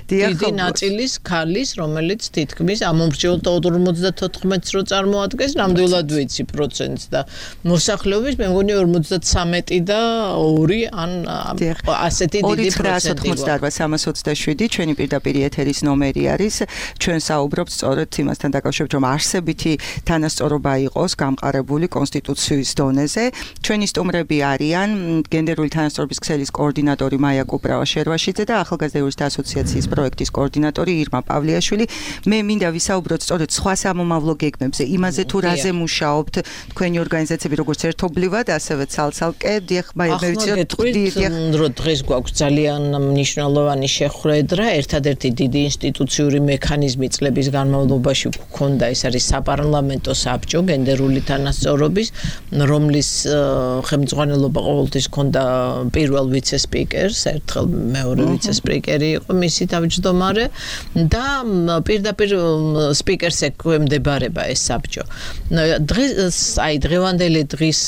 დიდი ნაწილის ქალის, რომელიც თითქმის ამომრჩეულ 54-ს რო წარმოადგენს, ნამდვილად ვიცი პროცენტს და მოსახლეობის მე მგონი 53 და 2 ან ასეთი დიდი პროცენტი. 387 ჩვენი პირდაპირ ეთერის ნომერი არის. ჩვენ საუბრობთ სწორედ იმასთან დაკავშირებით, რომ არსებითი თანასწორობა იყოს გამყარებული კონსტიტუციის დონეზე. ჩვენი სტუმრები არიან გენდერული თანასწორობის ქსელის კოორდინატორი მაია კუპრავა-შერვაშიძე და ახალგაზრდა იურისტთა ასოციაციის პროექტის კოორდინატორი ირმა პავლიაშვილი. მე მინდა ვისაუბროთ სწორედ სხვა სამომავლო გეგმებზე, იმაზე თუ რაზე მუშაობთ თქვენი ორგანიზაციები, როგორც ერთობლივად, ასევე ცალ-ცალკე. დიახ, მე ვიცი რომ დღეს გვაქვს ძალიან მნიშვნელოვანი შეხვედრა, ერთადერთი დიდი ინსტიტუციური მექანიზმი წლების განმავლობაში გვქონდა, ეს არის საპარლამენტო საბჭო გენდერული თანასწორობის, რომლის ხელმძღვანელობა ყოველთვის ჰქონდა პირველ ვიცე-სპიკერს, ერთხელ მეორე ვიცე-სპიკერი იყო მისი თავმჯდომარე და პირდაპირ სპიკერს ექვემდებარება ეს საბჭო. დღევანდელი დღის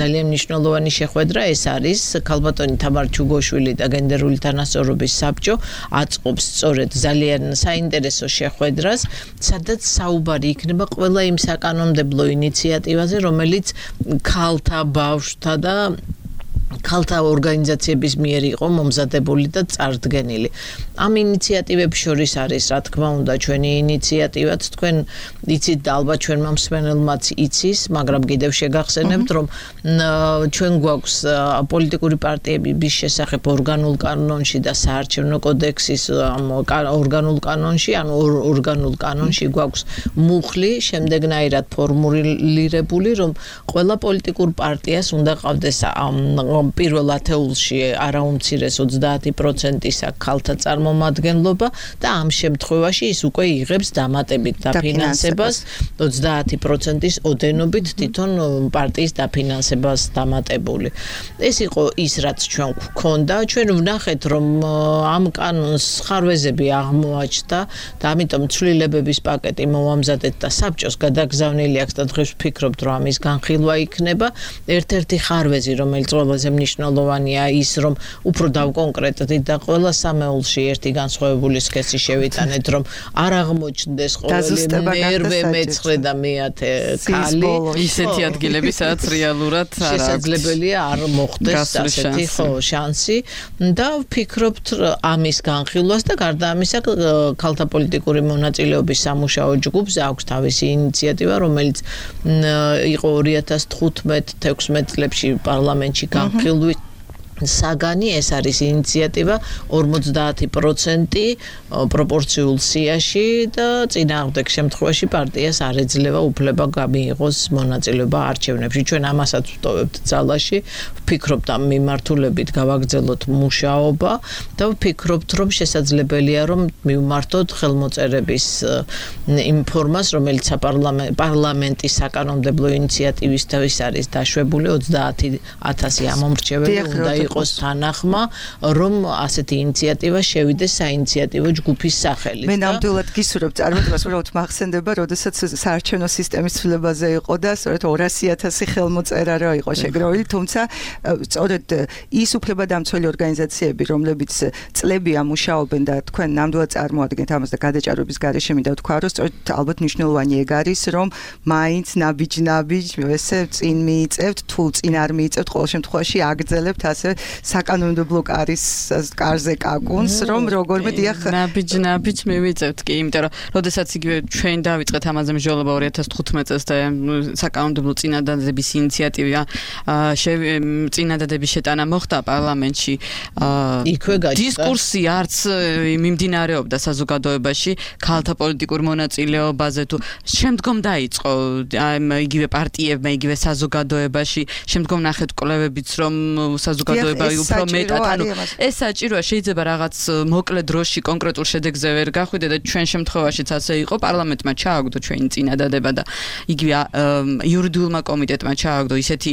ძალიან მნიშვნელოვანი შეხვედრა ეს არის ქალბატონი თამარ ჩუგოშვილი და გენდერული თანასწორობის საბჭო აწყობს სწორედ ძალიან საინტერესო შეხვედრას, სადაც საუბარი იქნება ყველა იმ საკანონმდებლო ინიციატივაზე, რომელიც ქალთა, ბავშვთა და ქალთა ორგანიზაციების მიერ იყო მომზადებული და წარდგენილი. ამ ინიციატივებს შორის არის, რა თქმა უნდა, ჩვენი ინიციატივაც, თქვენ იცით და ალბათ ჩვენმა მსმენელმაც იცის, მაგრამ კიდევ შეგახსენებთ, რომ ჩვენ გვაქვს პოლიტიკური პარტიების შესახებ ორგანულ კანონში და საარჩევნო კოდექსის ორგანულ კანონში, ანუ ორგანულ კანონში გვაქვს მუხლი შემდეგნაირად ფორმულირებული, რომ ყველა პოლიტიკურ პარტიას უნდა ყავდეს პირველ ათეულში არაუმცირეს 30%-ისა ქალთა წარმომადგენლობა და ამ შემთხვევაში ის უკვე იღებს დამატებით დაფინანსებას 30%-ის ოდენობით თვითონ პარტიის დაფინანსებას დამატებული. ეს იყო ის, რაც ჩვენ გვქონდა. ჩვენ ვნახეთ, რომ ამ კანონს ხარვეზები აღმოაჩნდა და ამიტომ ცვლილებების პაკეტი მოვამზადეთ და საბჭოს გადაგზავნილი აქვს და დღეს ვფიქრობთ, რომ ამის განხილვა იქნება. ერთ-ერთი ხარვეზი, რომელიც ყველაზე მნიშვნელოვანია ის, რომ უფრო დავკონკრეტდით და ყველა სამეულში ერთი განსხვავებული სქესი შევიტანეთ, რომ არ აღმოჩნდეს ყოველი მერვე, მეცხრე და მეათე ქალი ისეთი ადგილები, სადაც რეალურად შესაძლებელია არ მოხდეს ასეთი შანსი და ვფიქრობთ ამის განხილვას და გარდა ამისა ქალთა პოლიტიკური მონაწილეობის სამუშაო ჯგუფს აქვს თავისი ინიციატივა, რომელიც იყო 2015-16 წლებში პარლამენტში განხილვით საგანი, ეს არის ინიციატივა 50% პროპორციულ სიაში და წინააღმდეგ შემთხვევაში პარტიას არ ეძლევა უფლება გამიიღოს მონაწილეობა არჩევნებში. ჩვენ ამასაც ვტოვებთ ძალაში, ვფიქრობთ ამ მიმართულებით გავაგრძელოთ მუშაობა და ვფიქრობთ, რომ შესაძლებელია, რომ მივმართოთ ხელმოწერების იმ ფორმას, რომელიც პარლამენტის საკანონმდებლო ინიციატივისთვის არის დაშვებული 30,000 ამომრჩეველი უნდა იყოს თანახმა, რომ ასეთი ინიციატივა შევიდეს საინიციატივო ჯგუფის სახელით. მე ნამდვილად გისურვებ წარმატებას, უბრალოდ მახსენდება, როდესაც საარჩევნო სისტემის ცვლილებაზე იყო და სწორედ 200,000 ხელმოწერა რა იყო შეგროვილი, თუმცა სწორედ ის უფლებადამცველი ორგანიზაციები, რომლებიც წლებია მუშაობენ და თქვენ ნამდვილად წარმოადგენთ ამას და გადაჭარბების გარეშე მინდა ვთქვა, რომ სწორედ ალბათ მნიშვნელოვანი ეგ არის, რომ მაინც ნაბიჯ ესე წინ მიიწევთ, თუ წინ არ მიიწევთ, ყოველ შემთხვევაში აგრძელებთ ასე საკანონმდებლო კარზე კაკუნს, რომ როგორმე დიახ ნაბიჯ მივიწევთ კი, იმიტომ რომ როდესაც იგივე ჩვენ დავიწყეთ ამაზე მსჯელობა 2015 წელს და საკანონმდებლო წინადადების ინიციატივა წინადადების შეტანა მოხდა პარლამენტში, დისკურსი არც მიმდინარეობდა საზოგადოებაში ქალთა პოლიტიკურ მონაწილეობაზე თუ შემდგომ დაიწყო იგივე პარტიებმა, იგივე საზოგადოებაში, შემდგომ ნახეთ კვლევებიც, რომ საზოგადოება უფრო მეტად, ანუ ეს საჭიროა, შეიძლება რაღაც მოკლე დროში კონკრეტულ შედეგზე ვერ გახვიდე და ჩვენ შემთხვევაშიც ასე იყო, პარლამენტმა ჩააგდო ჩვენი წინადადება და იგივე იურიდიულმა კომიტეტმა ჩააგდო ისეთი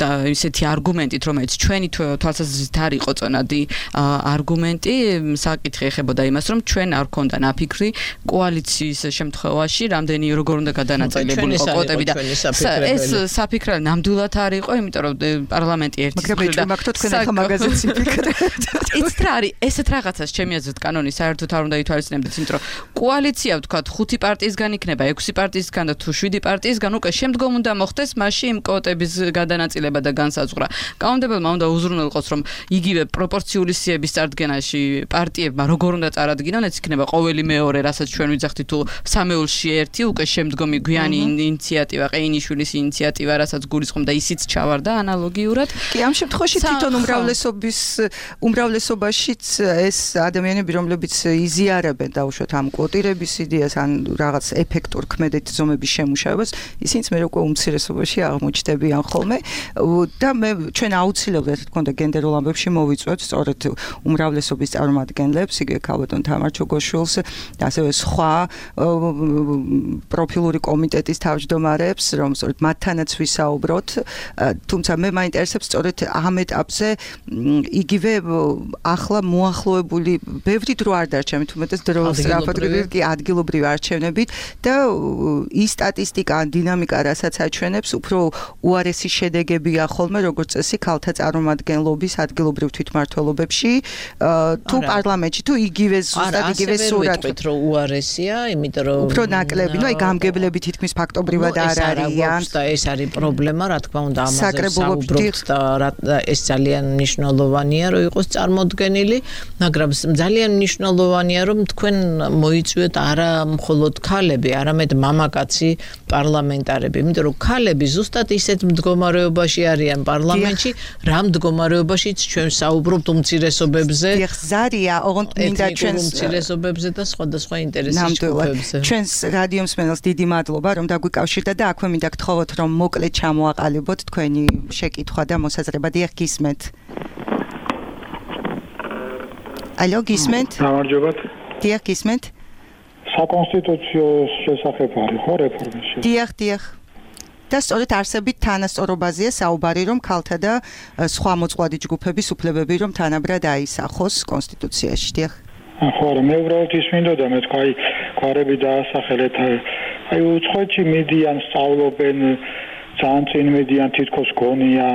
და ისეთი არგუმენტით, რომელიც ჩვენი თვალსაზრისით არ იყო წონადი არგუმენტი, საკითხი ეხებოდა იმას, რომ ჩვენ არ ქონდა ნაფიქრი კოალიციის შემთხვევაში, რამდენი როგორ უნდა გადანაწილებული ყოფილიყო კვოტები და ეს საფიქრა ნამდვილად არ იყო, იმიტომ რომ პარლამენტი ერთის მხრიდან და მაგ თქვენ ახლა მაგაზინს იფიქრებთ. იცით რა არის ესეთ რაღაცას ჩემი აზრით კანონი საერთოდ არ უნდა ითვალისწინებდეთ, იმიტომ რომ კოალიცია ვთქვათ 5 პარტიისგან იქნება, 6 პარტიისგან და თუ 7 პარტიისგან უკვე შემდგომ უნდა მოხდეს მასში იმ კვოტების გადანაწილება და განსაზღვრა. კანონმდებელმა უნდა უზრუნველყოს რომ იგივე პროპორციული სიების წარდგენაში პარტიებმა როგორ უნდა წარადგინონ, ეს იქნება ყოველი მეორე, რასაც ჩვენ ვიძახით თუ სამეულში ერთი უკვე შემდგომი გვიანი ინიციატივა, ყეინიშვილის ინიციატივა, რასაც გულისხმობდა ისიც ჩავარდა ანალოგიურად. კი, ამ შემთხვევაში თვითონ უმრავლესობაშიც ეს ადამიანები, რომლებიც იზიარებენ დაუშვათ ამ კვოტირების იდეას ან რაღაც ეფექტურ ქმედით ზომების შემუშავებას, ისინიც მე უკვე უმცირესობაში აღმოჩნდებიან ხოლმე და მე ჩვენ აუცილებლად თქონდა გენდერულ ამბებში მოვიწვევთ სწორედ უმრავლესობის წარმომადგენლებს, იგივე ქალბატონ თამარ ჩოგოშვილს და ასევე სხვა პროფილური კომიტეტის თავმჯდომარეებს, რომ სწორედ მათთანაც ვისაუბროთ, თუმცა მე მაინტერესებს სწორედ ამ ეტაპზე იგივე ახლა მოახლოებული ბევრი დრო არ დარჩა, მით უმეტეს დრო სწრაფად ადგილობრივი არჩევნებით და ის სტატისტიკა, დინამიკა, რასაც აჩვენებს, უფრო უარესი შედეგებია ხოლმე, როგორც წესი, ქალთა წარმომადგენლობის ადგილობრივ თვითმმართველობებში, თუ პარლამენტში, თუ იგივე ზუსტად იგივე სურათი. ვიტყვით, რომ უარესია, იმიტომ რომ უფრო ნაკლები, ნუ აი გამგებლები თითქმის ფაქტობრივად არ არიან და ეს არის პრობლემა, რა თქმა უნდა, ამაზე საუბრობთ და ეს ძალიან მნიშვნელოვანია, რომ იყოს წარმოდგენილი, მაგრამ ძალიან მნიშვნელოვანია, რომ თქვენ მოიწვიოთ არა მხოლოდ ქალები, არამედ მამაკაცი პარლამენტარები, იმიტომ რომ ქალები ზუსტად ისეთ მდგომარეობაში არიან პარლამენტში, რა მდგომარეობაშიც ჩვენ საუბრობთ უმცირესობებზე. ზარია, ოღონდ მინდა ჩვენს უმცირესობებზე და სხვადასხვა ინტერესის ჯგუფებზე. ჩვენს რადიო მსმენელს დიდი მადლობა, რომ დაგვიკავშირდა და აქვე მინდა გთხოვოთ, რომ მოკლედ ჩამოაყალიბოთ თქვენი შეკითხვა და მოსაზრება. დიახ, გისმენთ. ალო, გისმენთ? გამარჯობათ. დიახ, გისმენთ? საკონსტიტუციო შესახებ არის ხო რეფორმის? დიახ. და სწორედ არსებით თანასწორობაზეა საუბარი, რომ ქალთა და სხვა მოწყვლადი ჯგუფების უფლებები რომ თანაბრად აისახოს კონსტიტუციაში. დიახ. ხო, მე უბრალოდ ის მინდოდა, მე თქვა, გვარები დაასახელეთ, აი უცხოეთში მედიან სწავლობენ, ძალიან წინ მედიან თითქოს გონია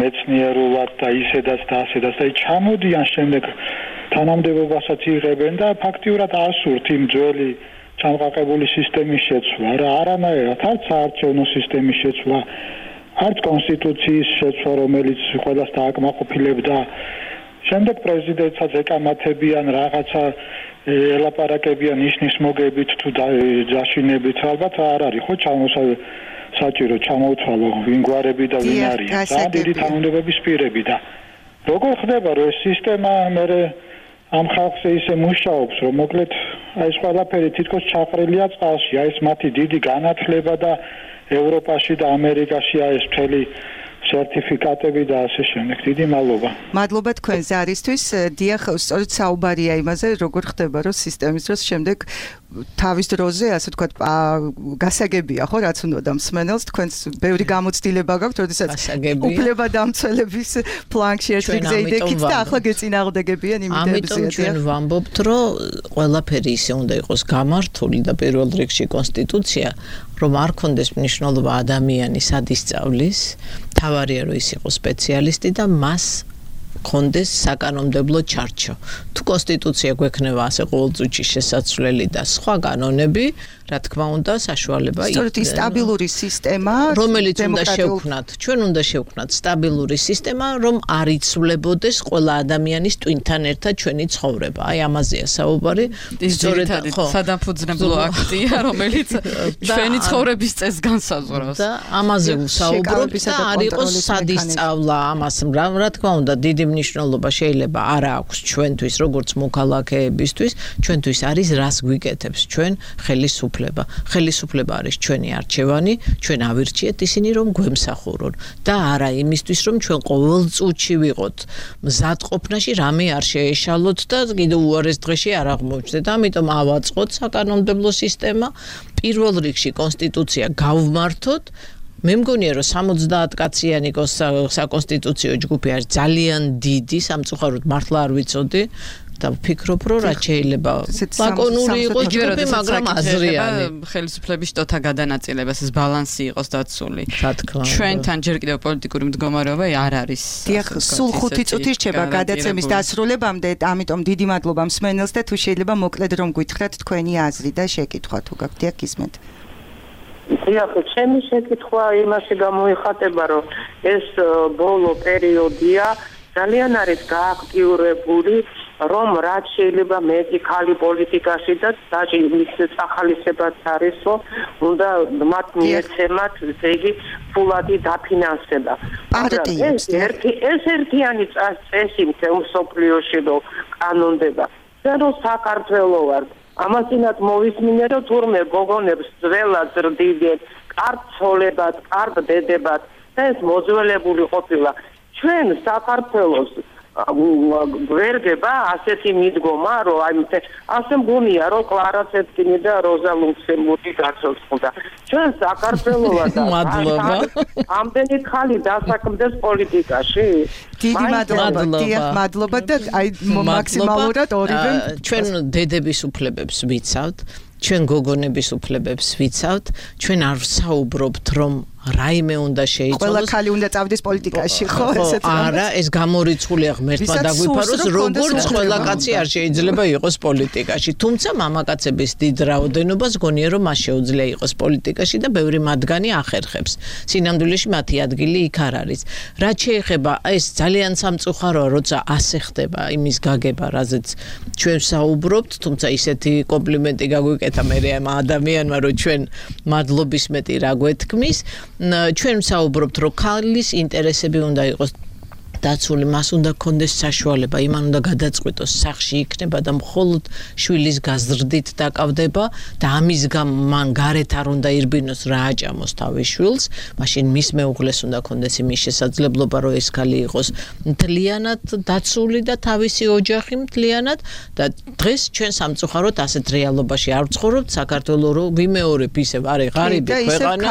მეცნიერულად და ისედაც და ასედაც და ჩამოდიან შემდეგ თანამდებობასაც იღებენ და ფაქტიურად ასურთ იმ ძველი ჩამყაყებული სისტემის შეცვლა, რა არანაირად არც საარჩევნო სისტემის შეცვლა, არც კონსტიტუციის შეცვლა, რომელიც ყველას დააკმაყოფილებდა. შემდეგ პრეზიდენტსაც ეკამათებიან რაღაცა ელაპარაკებიან ნიშნის მოგებით თუ დაშინებით, ალბათ არ არის ხო საჭირო ჩამოუცვალო ვინ გვარები და ვინ არის. და დიდი თანამდებობის პირები და როგორ ხდება რომ ეს სისტემა მე ამ ხალხზე ისე მუშაობს, რომ მოკლედ აი ეს ყველაფერი თითქოს ჩაყრილია წყალში, აი ეს მათი დიდი განათლება და ევროპაში და ამერიკაშია ეს მთელი სერტიფიკატები და ასე შემდეგ. დიდი მადლობა. მადლობა თქვენ ზარისთვის. დიახ, სწორედ საუბარია იმაზე, როგორ ხდება, რომ სისტემის დროს შემდეგ თავის დროზე, ასე ვთქვათ, გასაგებია, ხო, რაც უნდა და მსმენელს თქვენს ბევრი გამოცდილება გაქვთ, როდესაც უფლება დამცველების ფლანგში ერთ რიგზე იდექით და ახლა გეწინააღმდეგებიან იმიტებზეა. ამიტომ ჩვენ ვამბობთ, რომ ყველაფერი ისე უნდა იყოს გამართული და პირველ რიგში კონსტიტუცია, რომ არ კონდეს მნიშვნელობა ადამიანის ადისწავლის, თავარია რომ ის იყოს სპეციალისტი და მას კონდეს საკანონმდებლო ჩარჩო. თუ კონსტიტუცია გვექნება ასე ყოველწუთში შესაძლებელი და სხვა კანონები, რა თქმა უნდა, საშუალება იქნება. სწორედ ის სტაბილური სისტემა, რომელიც უნდა შევქმნათ, ჩვენ უნდა შევქმნათ სტაბილური სისტემა, რომ არ იცვლებოდეს ყველა ადამიანის ტვინთან ერთად ჩვენი ცხოვრება. აი ამაზეა საუბარი. სწორედ ხო, სადამფუძნებლო აქტია, რომელიც ჩვენი ცხოვრების წესს განსაზღვრავს. და ამაზე ვსაუბრობთ და არ იყოს სადისწავლა ამას, რა თქმა უნდა, დიდი მნიშვნელობა შეიძლება არ აქვს ჩვენთვის, როგორც მოქალაქეებისთვის, ჩვენთვის არის რას გვიკეთებს ჩვენ ხელისუფლება. ხელისუფლება არის ჩვენი არჩევანი, ჩვენ ავირჩიეთ ისინი რომ გვემსახურონ და არა იმისთვის რომ ჩვენ ყოველ წუთში ვიყოთ მზადყოფნაში, რამე არ შეეშალოთ და კიდევ უარეს დღეში არ აღმოჩნდეთ. ამიტომ ავაწყოთ საკანონმდებლო სისტემა, პირველ რიგში კონსტიტუცია გავმართოთ. მე მგონია რომ 70 კაციანი საკონსტიტუციო ჯგუფი არის ძალიან დიდი, სამწუხაროდ მართლა არ ვიცოდი და ვფიქრობ, რომ რაც შეიძლება ლაკონური იყოს ჯგუფი, მაგრამ აზრიანი. ხელისუფლების შტოთა გადანაწილებას ეს ბალანსი იყოს დაცული. რა თქმა უნდა. ჩვენთან ჯერ კიდევ პოლიტიკური მდგომარეობა არ არის. დიახ, სულ 5 წუთი რჩება გადაცემის დასრულებამდე, ამიტომ დიდი მადლობა მსმენელს და თუ შეიძლება მოკლედ რომ გითხრათ თქვენი აზრი და შეკითხვა თუ გაქვთ, დიახ, გისმენთ. დიახ, ჩემი შეკითხვა იმაში გამოიხატება, რომ ეს ბოლო პერიოდია ძალიან არის გააქტიურებული, რომ რაც შეიძლება მეტი ხალი პოლიტიკაში და მის სახალისებაც არის, რომ უნდა მათ მიეცემათ, ესე იგი, ფულადი დაფინანსება. ეს ერთიანი წესი მსოფლიოში რომ კანონდება. ზერო საქართველო ვარ. ამასინად მოვისმინე, რომ თურმე გოგონებს ძველად ზრდიდნენ, კარგ ცოლებად, კარგ დედებად და ეს მოძველებული ყოფილა. ჩვენ საქართველოს ვერდება ასეთი მიდგომა, რომ ასე მგონია, რომ კლარა ცეტკინი და როზა ლუქსემბურგი გაცოცხლდა. ჩვენ საქართველოა და ამდენი ხალი დასაქმდეს პოლიტიკაში. დიდი მადლობა და აი მაქსიმალურად ორივე ჩვენ დედების უფლებებს ვიცავთ, ჩვენ გოგონების უფლებებს ვიცავთ, ჩვენ არ საუბრობთ, რომ რაიმე უნდა შეიცვალოს. ყველა ხალი უნდა წავდეს პოლიტიკაში, ხო? ესეც არა, ეს გამორიცხულია ღმერთმა დაგვიფაროს, როგორც ყველა კაცი არ შეიძლება იყოს პოლიტიკაში. თუმცა მამაკაცების დიდ რაოდენობას გონია, რომ მას შეუძლია იყოს პოლიტიკაში და ბევრი მათგანი ახერხებს. სინამდვილეში მათი ადგილი იქ არ არის. რაც შეეხება ეს ძალიან სამწუხაროა, როცა ასე ხდება იმის გაგება, რაზეც ჩვენ საუბრობთ, თუმცა ისეთი კომპლიმენტი გაგვიკეთა მე ამ ადამიანმა, რომ ჩვენ მადლობის მეტი რა გვეთქმის. ჩვენ საუბრობთ, რომ ქალის ინტერესები უნდა იყოს დაცული, მას უნდა კონდეს საშუალება, იმან უნდა გადაწყვიტოს სახში იქნება და მხოლოდ შვილის გაზრდით დაკავდება და ამის გამო მან გარეთ არ უნდა ირბინოს რა აჭამოს თავის შვილს, მაშინ მის მეუღლეს უნდა კონდეს იმის შესაძლებლობა, რომ ეს ქალი იყოს მთლიანად დაცული და თავისი ოჯახი მთლიანად და დღეს ჩვენ სამწუხაროდ ასეთ რეალობაში არ ვცხოვრობთ. საქართველო რო ვიმეორებ ისევ არის ღარიბი ქვეყანა,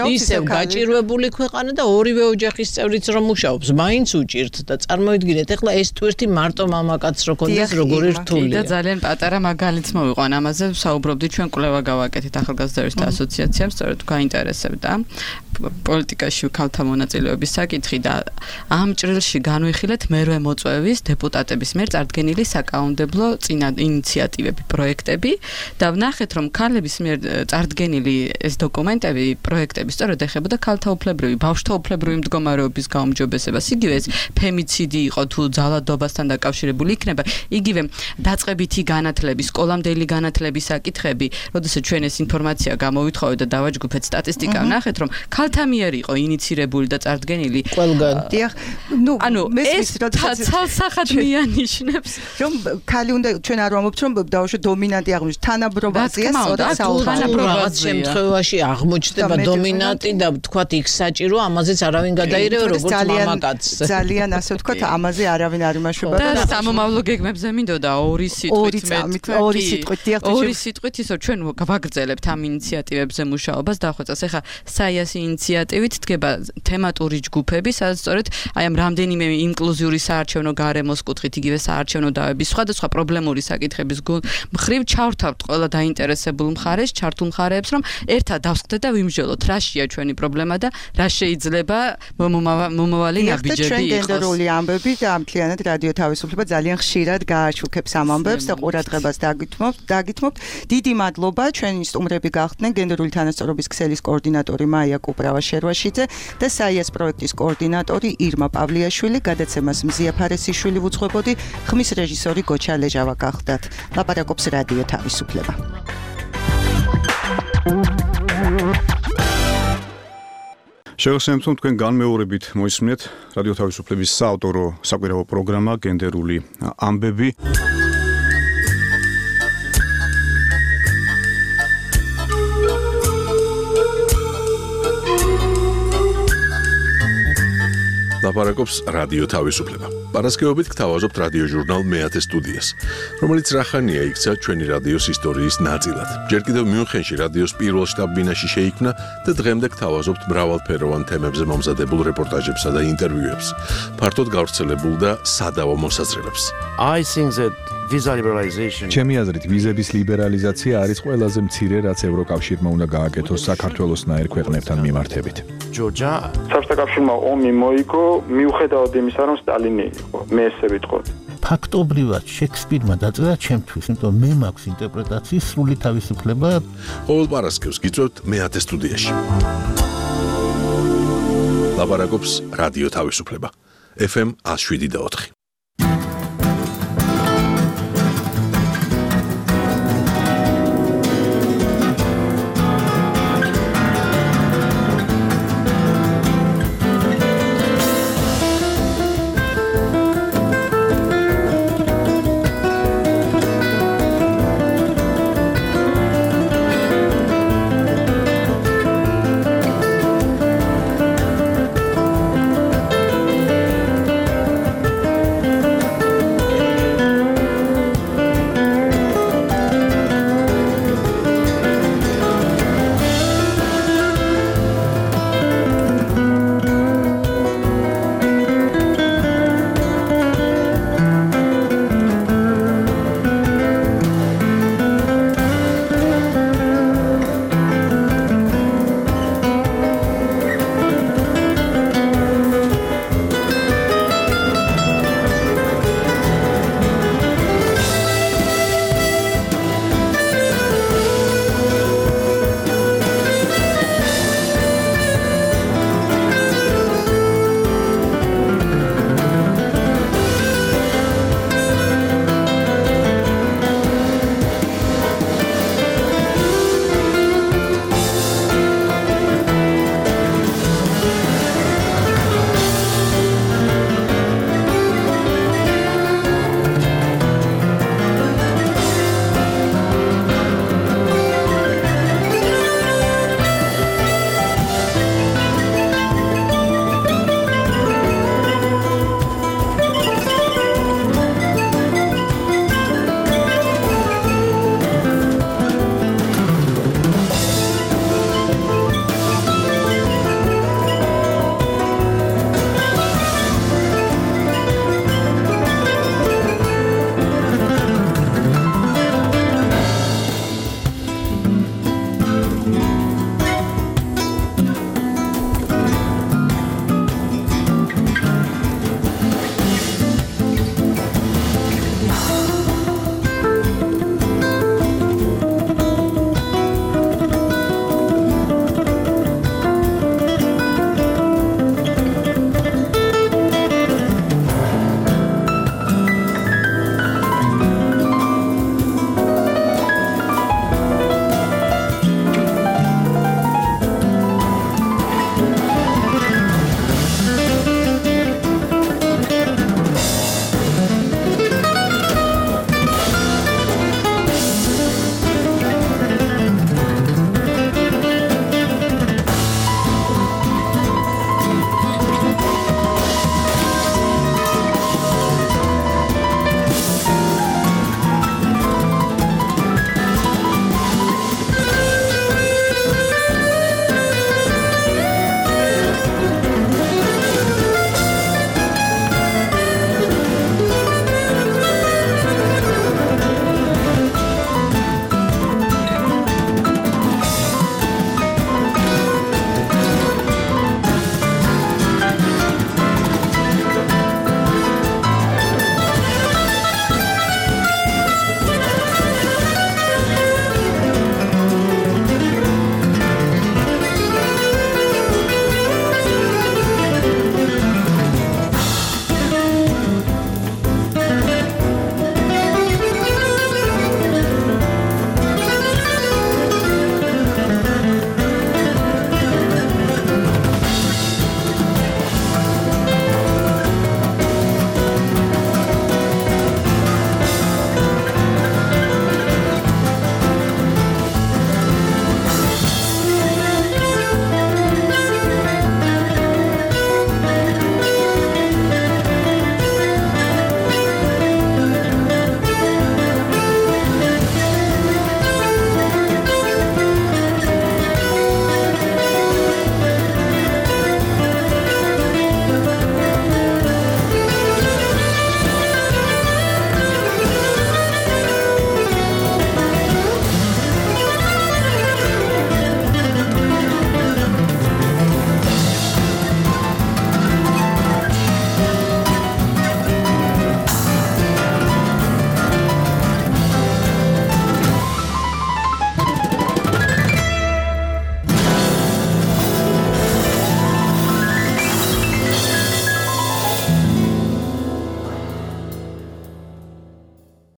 ისევ გაჭირვებული ქვეყანა და ორივე ოჯახის წევრიც რომ მუშაობს, მაინც და წარმოიდგინეთ, ეხლა ეს ტვირთი მარტო მამაკაცს რო კონდეს როგორი რთულია. და ძალიან პატარა მაგალითს მოვიყვან, ამაზე საუბრობდი, ჩვენ კვლევა გავაკეთეთ ახალგაზრდათა ასოციაციამ, სწორედ გაინტერესებდა პოლიტიკაში ქალთა მონაწილეობის საკითხი და ამ ჭრილში განვიხილეთ მერვე მოწვევის დეპუტატების მიერ წარდგენილი საკანონმდებლო ინიციატივები, პროექტები და ვნახეთ, რომ ქალების მიერ წარდგენილი ეს დოკუმენტები, პროექტები სწორედ ეხებოდა ქალთა უფლებრივი, ბავშვთა უფლებრივი მდგომარეობის გაუმჯობესებას, იგივე ფემიციდი იყო თუ ძალადობასთან დაკავშირებული იქნება, იგივე დაწყებითი განათლების, სკოლამდელი განათლების საკითხები, როდესაც ჩვენ ეს ინფორმაცია გამოვითხოვეთ და დავაჯგუფეთ სტატისტიკა, ვნახეთ, რომ ქალთა მიერ იყო ინიცირებული და წარდგენილი ყველგან. დიახ, ეს ცალსახად მიანიშნებს, რომ ქალი უნდა ჩვენ არ ვამბობთ, რომ დავუშვათ დომინანტი აღმოჩნდეს, თანაბრობაზია, რაღაც შემთხვევაში აღმოჩნდება დომინანტი და თქვათ იქ საჭირო, ამაზეც არავინ გადაირევა როგორც მამაკაცს. ძალიან ასე ვთქვათ, ამაზე არავინ არ იმაშვება და სამომავლო გეგმებზე მინდოდა ორი სიტყვით ისო ჩვენ ვაგრძელებთ ამ ინიციატივებზე მუშაობას დახვეწას. ეხლა საიასი ინიციატივით დგება თემატური ჯგუფები, სადაც სწორედ აი ამ რამდენიმე ინკლუზიური საარჩევნო გარემოს კუთხით, იგივე საარჩევნო დავების სხვადასხვა პრობლემური საკითხების მხრივ ჩავრთავთ ყველა დაინტერესებულ მხარეს, ჩართულ მხარეებს, რომ ერთად დავსხდეთ და ვიმსჯელოთ, რაშია ჩვენი პრობლემა და რა შეიძლება მომავალი ნაბიჯები ჩვენ გენდერული ამბები და ამთლიანად რადიო თავისუფლება ძალიან ხშირად გააშუქებს ამ ამბებს და ყურადღებას დაგითმობთ. დიდი მადლობა. ჩვენი სტუმრები გახდნენ გენდერული თანასწორობის ქსელის კოორდინატორი მაია კუპრავა-შერვაშიძე და საიას პროექტის კოორდინატორი ირმა პავლიაშვილი. გადაცემას მზია ფარესიშვილი ვუძღვებოდი, ხმის რეჟისორი გოჩა ლეჟავა გახლდათ. ლაპარაკობს რადიო თავისუფლება. შეგახსენებთ, თქვენ განმეორებით მოისმინეთ რადიო თავისუფლების საავტორო საკვირაო პროგრამა გენდერული ამბები. ლაპარაკობს რადიო თავისუფლება. პარასკევობით გთავაზობთ რადიო ჟურნალ მეათე სტუდიას, რომელიც რახანია იქცა ჩვენი რადიოს ისტორიის ნაწილად. ჯერ კიდევ მიუნხენში რადიოს პირველ შტაბ-ბინაში შეიქმნა და დღემდე გთავაზობთ მრავალფეროვან თემებზე მომზადებულ რეპორტაჟებსა და ინტერვიუებს, ფართოდ გავრცელებულ და სადავო მოსაზრებებს. I think that ჩემი აზრით, ვიზების ლიბერალიზაცია არის ყველაზე მცირე, რაც ევროკავშირმა უნდა გააკეთოს საქართველოსნაირ ქვეყნებთან მიმართებით. საბჭოთა კავშირმა ომი მოიგო, მიუხედავად იმისა, რომ სტალინი იყო, მე ესე ვიტყოდი. ფაქტობრივად შექსპირმა დაწერა ჩემთვის, იმიტომ მე მაქვს ინტერპრეტაციის სრული თავისუფლება. ყოველ პარასკევს გიწევთ მეათე სტუდიაში. ლაპარაკობს რადიო თავისუფლება. FM 107.4.